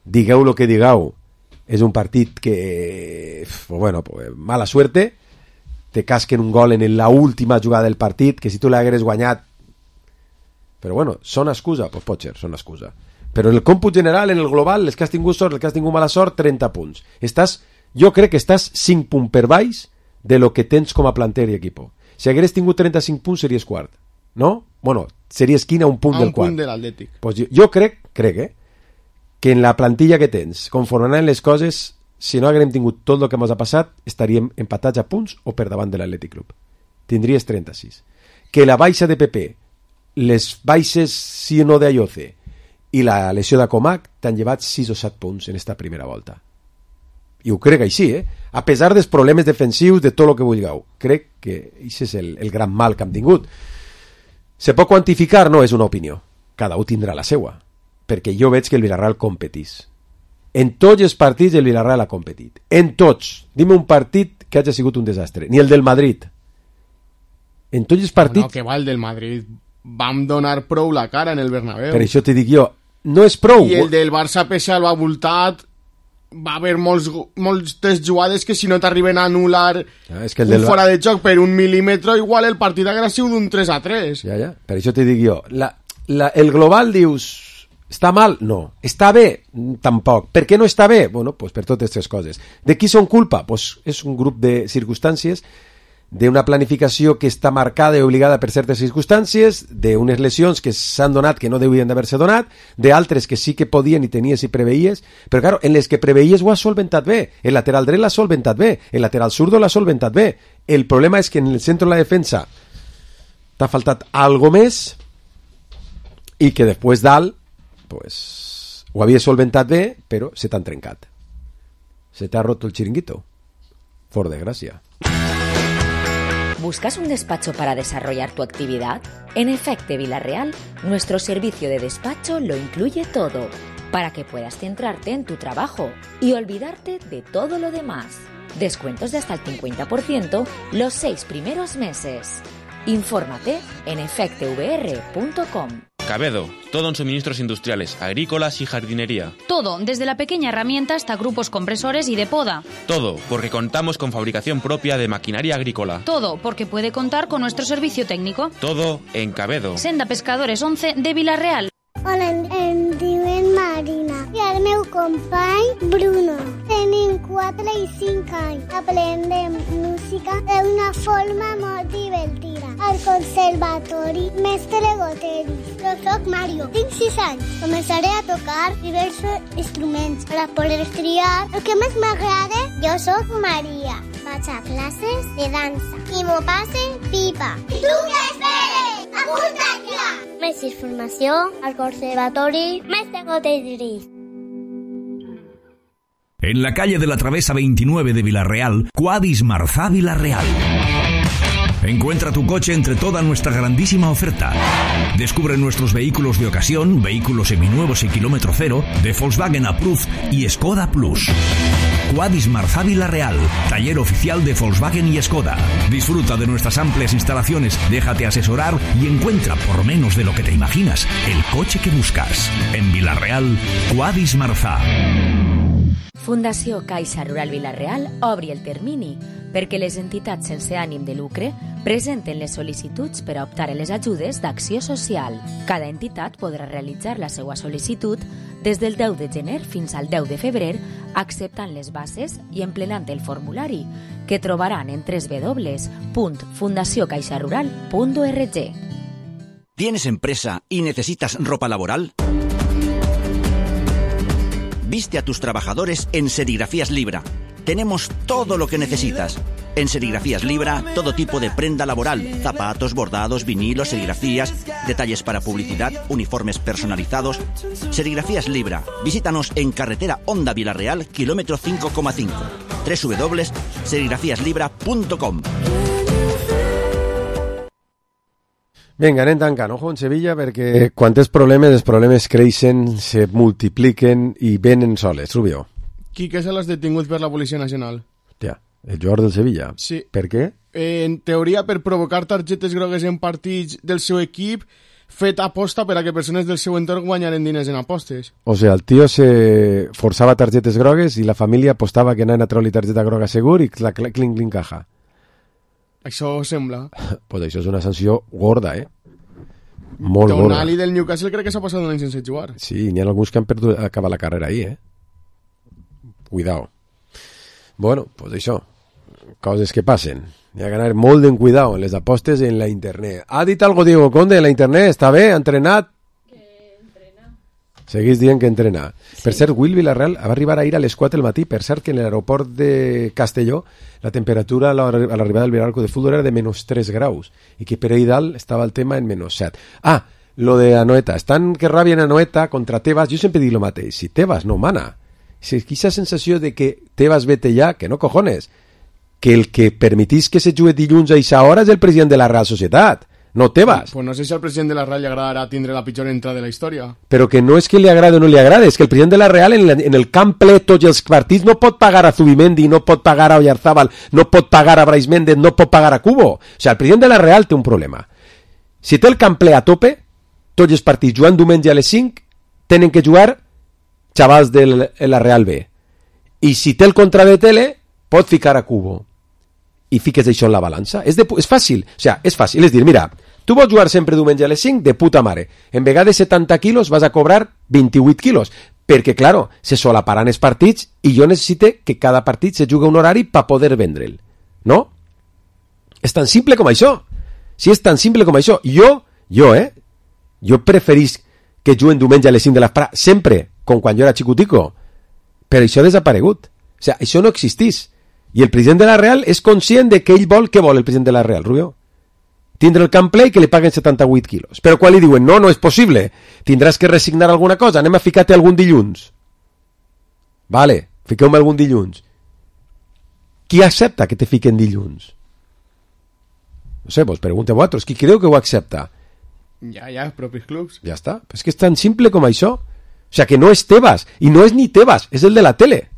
digueu lo que digueu, és un partit que, bueno, mala suerte, te casquen un gol en la última jugada del partit, que si tu l'hagueres guanyat, però bueno, són excusa? Pues pot ser, són excusa. Però en el còmput general, en el global, els que has tingut sort, els que has tingut mala sort, 30 punts. Jo crec que estàs 5 punts per baix de lo que tens com a planter i equipo. Si hagueres tingut 35 punts, series quart. ¿No? Bueno, series quina un punt del quart. Un punt de l'Atlètic. Pues jo crec, que en la plantilla que tens, conforme anaven les coses, si no haguem tingut tot el que ens ha passat, estaríem empatats a punts o per davant de l'Atlètic Club. Tindries 36. Que la baixa de PP, les baixes sí o no d'Ayoce i la lesió de Comac t'han llevat 6 o 7 punts en esta primera volta. I ho crec així, a pesar dels problemes defensius, de tot el que vulgueu. Crec que això és el gran mal que hem tingut. Se pot quantificar? No, és una opinió. Cada un tindrà la seua. Perquè jo veig que el Villarreal competís. En tots els partits el Villarreal ha competit. En tots. Dime un partit que hagi sigut un desastre. Ni el del Madrid. En tots els partits... No, que va el del Madrid. Vam donar prou la cara en el Bernabéu. Per això te dic jo, no és prou. I el del Barça pese al voltat, va haver moltes jugades que si no t'arriben a anul·lar un fora de joc per 1 mil·límetre, igual el partit haguera sigut d'un 3-3. Ja, per això te dic jo. El global dius... Està mal? No. Està bé? Tampoc. Per què no està bé? Bueno, pues per totes aquestes coses. De qui són culpa? Pues és un grup de circumstàncies d'una planificació que està marcada i obligada per certes circumstàncies, d'unes lesions que s'han donat que no devien d'haver-se donat, d'altres que sí que podien i tenies i preveies, però claro, en les que preveies ho has solventat bé, el lateral dret l'ha solventat bé, el lateral zurdo l'ha solventat bé. El problema és que en el centre de la defensa t'ha faltat algo més i que després dalt pues, ho havies solventat bé, però se t'han trencat. Se t'ha roto el chiringuito. Por desgracia. ¿Buscas un despacho para desarrollar tu actividad? En Efecte Villarreal, nuestro servicio de despacho lo incluye todo, para que puedas centrarte en tu trabajo y olvidarte de todo lo demás. Descuentos de hasta el 50% los 6 primeros meses. Infórmate en efectevr.com. Cabedo, todo en suministros industriales, agrícolas y jardinería. Todo, desde la pequeña herramienta hasta grupos compresores y de poda. Todo, porque contamos con fabricación propia de maquinaria agrícola. Todo, porque puede contar con nuestro servicio técnico. Todo en Cabedo. Senda Pescadores 11 de Villarreal. Hola, em diuen Marina i el meu company Bruno. Tenim 4 i 5 anys. Aprendem música d'una forma molt divertida. Al conservatori Mestre Goteri. Jo soc Mario, tinc 6 anys. Començaré a tocar diversos instruments per a poder triar el que més m'agrada. Jo soc Maria. Vaig a classes de dansa i m'ho passe pipa. I tu què esperes? Apunta't ja! Més informació al Conservatori Mestre Goteri. En la calle de la Travesa 29 de Villarreal, Quadis Marzá Villarreal. Encuentra tu coche entre toda nuestra grandísima oferta. Descubre nuestros vehículos de ocasión, vehículos seminuevos y kilómetro cero, de Volkswagen Approved y Skoda Plus. Quadis Marzá Villarreal, taller oficial de Volkswagen y Skoda. Disfruta de nuestras amplias instalaciones, déjate asesorar y encuentra por menos de lo que te imaginas el coche que buscas. En Villarreal, Quadis Marzá. Fundació Caixa Rural Villarreal obri el termini perquè les entitats sense ànim de lucre presenten les sol·licituds per a optar a les ajudes d'acció social. Cada entitat podrà realitzar la seva sol·licitud des del 10 de gener fins al 10 de febrer, acceptant les bases i emplenant el formulari, que trobaran en www.fundaciocaixarural.org. ¿Tienes empresa y necesitas ropa laboral? Viste a tus trabajadores en Serigrafías Libra. Tenemos todo lo que necesitas. En Serigrafías Libra, todo tipo de prenda laboral, zapatos, bordados, vinilos, serigrafías, detalles para publicidad, uniformes personalizados. Serigrafías Libra. Visítanos en carretera Honda Villarreal, kilómetro 5,5. www.serigrafíaslibra.com. Vinga, anem tancant. Ojo en Sevilla, perquè quan els problemes creixen, se multipliquen i venen soles. Rubio. Quique se l'has detingut per la Policia Nacional. Hòstia, el jugador del Sevilla? Sí. Per què? En teoria, per provocar targetes grogues en partits del seu equip, fet aposta per a que persones del seu entorn guanyaren diners en apostes. O sea, el tio se forçava targetes grogues i la família apostava que anaven a treure targeta groga segur i clink caja. Això sembla. Pues això és una sanció gorda, Molt gorda. Tonali del Newcastle crec que s'ha passat un any sense jugar. Sí, n'hi ha alguns que han perdut acabar la carrera ahí, Cuidao. Bueno, pues això, coses que passen. Hi ha que anar molt en cuidao en les apostes en la internet. Ha dit algo Diego Conde en la internet? Està bé? Ha entrenat? Seguís dient que entrena. Sí. Per cert, Will Villarreal va arribar ahir a les 4 del matí. Per cert, que en l'aeroport de Castelló la temperatura a l'arribada del Villarreal de Futbol era de -3 graus i que per ahí dalt estava el tema en -7. Ah, lo de Anoeta. Estan que rabien Anoeta contra Tebas. Jo sempre dic lo mateix. Si Tebas no mana, si aquesta sensació de que Tebas vete ja, que no cojones, que el que permitís que se jugui dilluns a aquesta hora és el president de la Real Societat. No Tebas. Pues no sé si al president de la Real li agradarà tindre la pitjor entrada de la història. Però que no és que li agrade o no li agrade, és que el president de la Real en el camp ple tots els partits no pot pagar a Zubimendi, no pot pagar a Oyarzábal, no pot pagar a Brais Méndez, no pot pagar a Cubo. O sigui, el president de la Real té un problema. Si té el camp ple a tope, tots els partits jugant diumenge a les 5 tenen que jugar xavals de la Real B. I si té el contra de tele, pot ficar a Cubo. I fiques això en la balança. És fàcil. O sigui, és fàcil. És dir, mira, tu vols jugar sempre diumenge a les 5 de puta mare. En vegades de 70 quilos vas a cobrar 28 quilos. Perquè, claro, se solaparan els partits i jo necessite que cada partit se jugui un horari per poder vendre'l. No? És tan simple com això. Si és tan simple com això. Jo preferís que juguen diumenge a les 5 de l'esprà, sempre, com quan jo era xicutico. Però això ha desaparegut. O sigui, això no existís. I el president de la Real és conscient de que ell vol... Què vol el president de la Real, Rubio? Tindre el camp ple i que li paguen 78 quilos. Però quan li diuen, no és possible, tindràs que resignar alguna cosa, anem a ficar-te algun dilluns. Vale, fiqueu-me algun dilluns. Qui accepta que te fiquen dilluns? No sé, vos pregunte a vosaltres, qui creu que ho accepta? Ja, els propis clubs. Ja està, és que és tan simple com això. O sea, que no és Tebas, i no és ni Tebas, és el de la tele.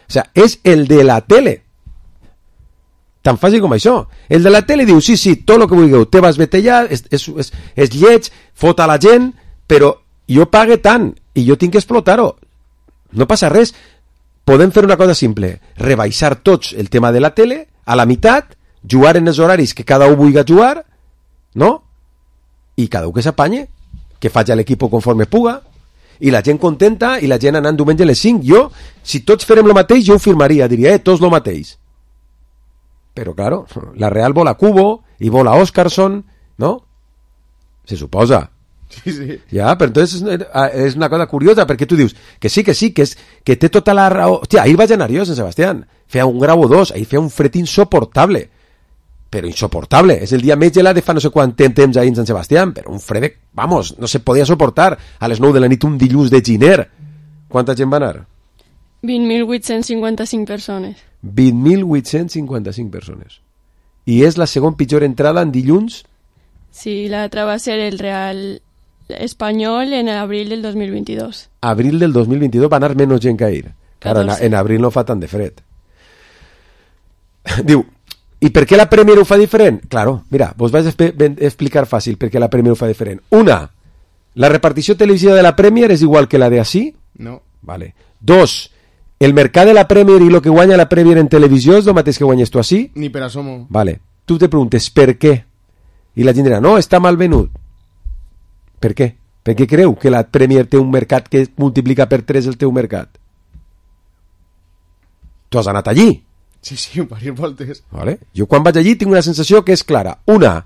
O sea, és el de la tele. Tan fàcil com això. El de la tele diu, sí, tot el que vulgueu, Tebas vete ja, és lleig, fot a la gent, però jo pague tant, i jo tinc que explotar-ho. No passa res. Podem fer una cosa simple, rebaixar tots el tema de la tele, a la meitat, jugar en els horaris que cada un vulgui jugar, no? I cada un que s'apanye, que faci l'equip conforme puga, i la gent contenta, i la gent anant diumenge a les 5. Jo, si tots farem el mateix, jo ho firmaria, diria, tots el mateix. Però, claro, la Real vol a Cubo, i vol a Óscarson, no? Se suposa. Sí. Ja, però entonces és una cosa curiosa, perquè tu dius que sí, que té tota la raó. Hòstia, ahir vaig anar jo, Sant Sebastián, feia un grau o 2, ahir feia un fred insoportable, però insoportable, és el dia més gelat de fa no sé quant temps ahir en Sant Sebastián, però un fred, vamos, no se podia soportar a les 9 de la nit un dilluns de giner. Quanta gent va anar? 20.855 persones. 20.855 persones. I és la segona pitjor entrada en dilluns? Sí, l'altra va ser el Real Espanyol en abril del 2022. Abril del 2022 va anar menys gent que ahir. Claro, en abril no fa tant de fred. Diu, i per què la Premier ho fa diferent? Claro, mira, vos vaig explicar fàcil per què la Premier ho fa diferent. Una, la repartició televisiva de la Premier és igual que la de ací? No. Vale. Dos, el mercat de la Premier i el que guanya la Premier en televisió és el mateix que guanyes tu ací? Ni per asomo. Vale. Tu te preguntes per què? I la gent dirà, no, està mal venut. Per què? Per què creu que la Premier té un mercat que multiplica per 3 el teu mercat? Tu has anat allí? Sí, diverses voltes. Vale. Jo quan vaig allí tinc una sensació que és clara. Una,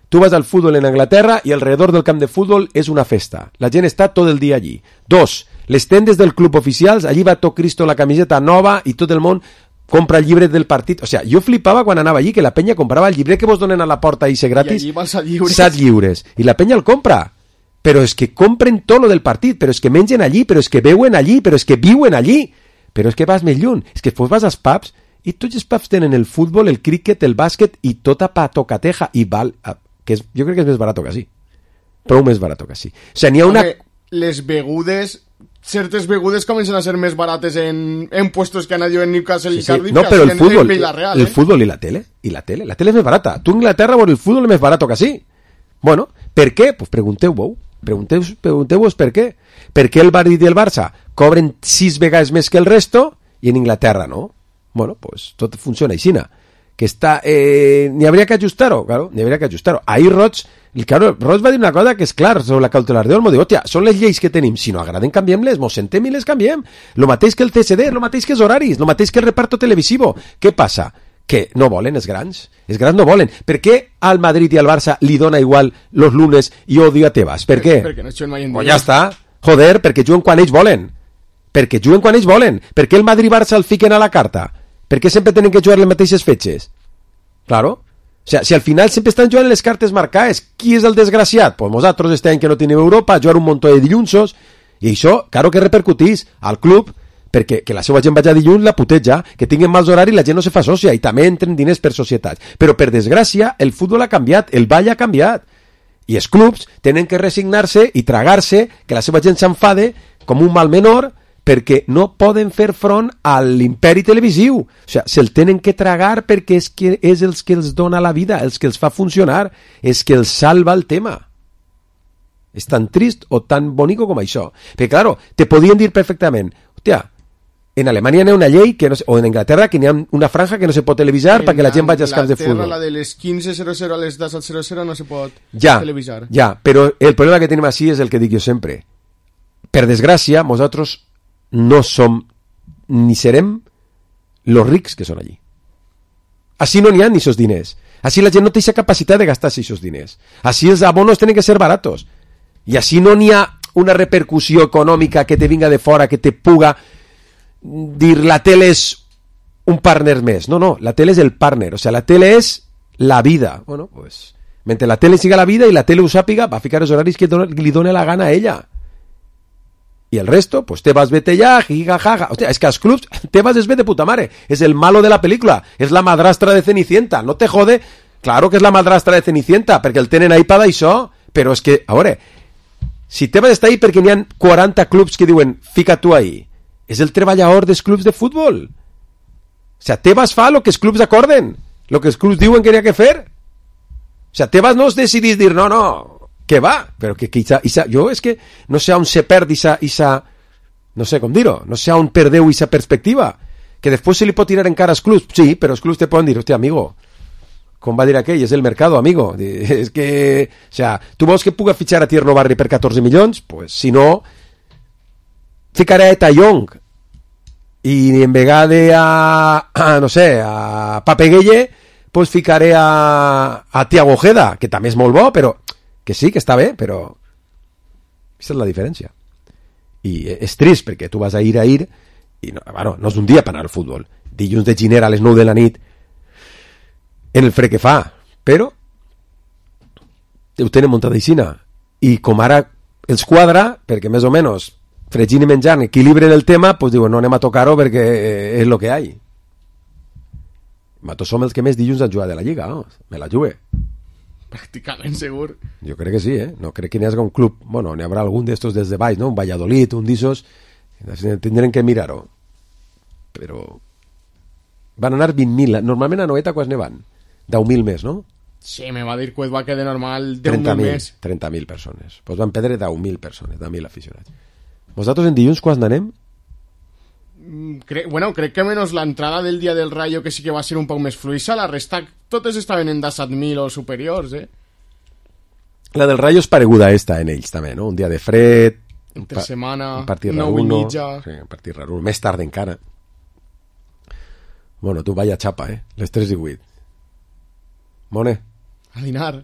tu vas al futbol en Anglaterra i alrededor del camp de futbol és una festa. La gent està tot el dia allí. Dos, les tendes del club oficials, allí va tot Cristo la camiseta nova i tot el món compra el llibre del partit. O sea, jo flipava quan anava allí que la penya comprava el llibre que vos donen a la porta i ser gratis. I allí vas a lliures. 7 lliures. I la penya el compra. Però és que compren tot lo del partit, però és que mengen allí, però és que beuen allí, però és que viuen allí. Però és que vas més lluny. És que vas als pubs i tots els pubs tenen el futbol, el críquet, el bàsquet i tota patocateja i val, que és, jo crec que és més barat que així. Prou més barat que així. O sigui, n'hi ha una... Les begudes... Certes begudes comencen a ser més barates en puestos que han anat en Newcastle i Cardiff. No, però el futbol, Villarreal, el futbol i la tele, la tele és més barata. Tu en Inglaterra veure el futbol és més barat que així. Bueno, per què? Pues pregunteu-vos per què. Per què el Madrid i el Barça cobren 6 vegades més que el resto i en Inglaterra no? Bueno, pues tot funciona així. Que està... n'hi hauria que ajustar-ho, claro, n'hi hauria que ajustar-ho. Ahir Roig va dir una cosa que és clar sobre la cautelar de Olmo, diu, hòstia, són les lleis que tenim, si no agraden canviem-les, mos sentem i les canviem, lo mateix que el TSD, lo mateix que els horaris, lo mateix que el reparto televisivo. Què passa? Que no volen els grans no volen. Per què al Madrid i al Barça li dona igual los lunes i odio a Tebas? Per què? Perquè no juguen mai en dia. Ja està, joder, perquè juguen quan ells volen. Per què el Madrid i Barça el fiquen a la carta? Per què sempre tenen que jugar les mateixes fetges? Claro. O sea, si al final sempre estan jugant les cartes marcades, qui és el desgraciat? Pues nosaltres este any que no tenim Europa, jugar un munt de dillunsos, i això, claro que repercutís al club, perquè que la seva gent vagi a dilluns la puteja, que tinguin mals horaris, la gent no se fa sòcia, i també entren diners per societats. Però per desgràcia, el futbol ha canviat, el ball ha canviat, i els clubs tenen que resignar-se i tragar-se que la seva gent s'enfade com un mal menor, perquè no poden fer front a l'imperi televisiu. O sigui, se'l tenen que tragar perquè és els que els dona la vida, els que els fa funcionar, és que els salva el tema. És tan trist o tan bonico com això. Perquè, claro, te podien dir perfectament, hòstia, en Alemanya hi ha una llei, que no se, o en Anglaterra, que hi ha una franja que no se pot televisar perquè la gent vagi als camps de futbol. La de les 15:00 a les 10:00 no se pot televisar. Ja, però el problema que tenim així és el que dic jo sempre. Per desgràcia, nosaltres no som ni serem los rics que són allí. Així no n'hi ha ni sos diners. Així la gent no té aquesta capacitat de gastar-se aquests diners. Així els abonos tenen que ser baratos. I així no n'hi ha una repercussió econòmica que te vinga de fora, que te puga dir la tele és un partner més. No, no, la tele és el partner. O sea, la tele és la vida. Bueno, pues, mentre la tele siga la vida i la tele ho sàpiga, va ficar els horaris que li dona la gana a ella. Y el resto, pues te vas, vete ya, jijajaja. Hostia, es que a los clubs te vas, es ve de puta madre. Es el malo de la película. Es la madrastra de Cenicienta. No te jode. Claro que es la madrastra de Cenicienta, perquè el tenen ahí para això. Però és que, a veure, si te vas estar ahí perquè n'hi ha 40 clubs que diuen, fica tu ahí. És el treballador dels clubs de futbol. O sea, te vas fa lo que els clubs acorden. Lo que els clubs diuen que n'hi ha que fer. O sea, te vas no es decidís dir, no, no, que va, però que jo és que no sé on se perd isa no sé com dir-ho, no sé on perdeu isa perspectiva, que després se li pot tirar en cara als clubs, sí, però els clubs te poden dir, hòstia, amigo, com va dir aquell, és el mercado, amigo, és que, o sea, tu vols que puga fitxar a Tierno Barri per 14 milions? Pues si no, ficaré a Eta Young, i en vegada no sé, a Pape Gueye, pues ficaré a Thiago Ojeda, que també és molt bo, però que sí, que està bé, però aquesta és la diferència. I és trist, perquè tu vas a ir, i no, bueno, no és un dia per anar al futbol. Dilluns de Ginera a les 9 de la nit, en el fred que fa, però ho tenen muntadíssima. I com ara els quadra, perquè més o menys fregint i menjant equilibren el tema, pues diuen, no anem a tocar-ho perquè és el que hi ha. Nosaltres som els que més dilluns han jugat de la Lliga, no? Me la jugué. Pràcticament segur. Jo crec que sí, no crec que n'hi hagi un club, bueno, n'hi haurà algun d'estos des de baix, no? Un Valladolid, un d'issos, tindrem que mirar-ho. Però van anar 20.000, normalment a Noeta quants ne van? 10.000 més, no? Sí, me va dir que va quedar normal 10.000 més. 30.000 persones. Pues van perdre 10.000 persones, 10.000 aficionats. Vosaltres en dilluns quants n'anem? Crec que menys l'entrada del dia del Rayo, que sí que va ser un poc més fluïssa, la resta totes estaven en 17.000 o superiors, La del Rayo és pareguda esta en ells també, no? Un dia de fred, entre setmana, un partit 9:30. Sí, un partit raro, més tard encara. Bueno, tu vaya xapa, les 3:08. Mone? A dinar.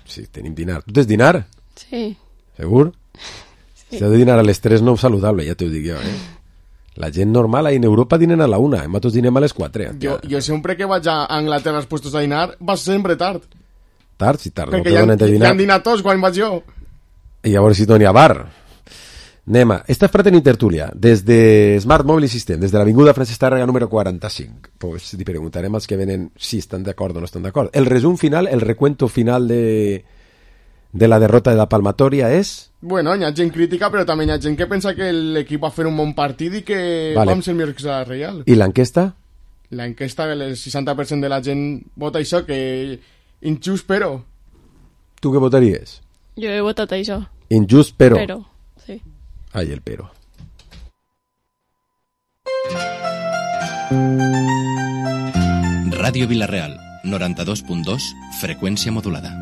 Sí, tenim dinar. Tu tens dinar? Sí. Segur? Sí. Si has de dinar a les 3 no és saludable, ja t'ho dic jo, La gent normal en Europa dinen a la 1, nosaltres dinem a les 4. Jo sempre que vaig a Anglaterra als puestos a dinar, vas sempre tard. Tard? Sí, tard. Perquè ja han dinat tots quan vaig jo. I llavors si no n'hi ha bar. Anem, esta fraterna tertúlia, des de Smart Mobile System, des de l'avinguda Francesc Tàrrega número 45. Pues li preguntarem als que venen si estan d'acord o no estan d'acord. El resum final, el recuento final de la derrota de la Palmatoria és... Bueno, hi ha gent crítica, però també hi ha gent que pensa que l'equip va fer un bon partit i que vam ser millors que la Reial. I l'enquesta? L'enquesta, el 60% de la gent vota això, que injust, però... Tu què votaries? Jo he votat això. Injust, però... Però, sí. Ai, el però. Ràdio Vila-real, 92.2, freqüència modulada.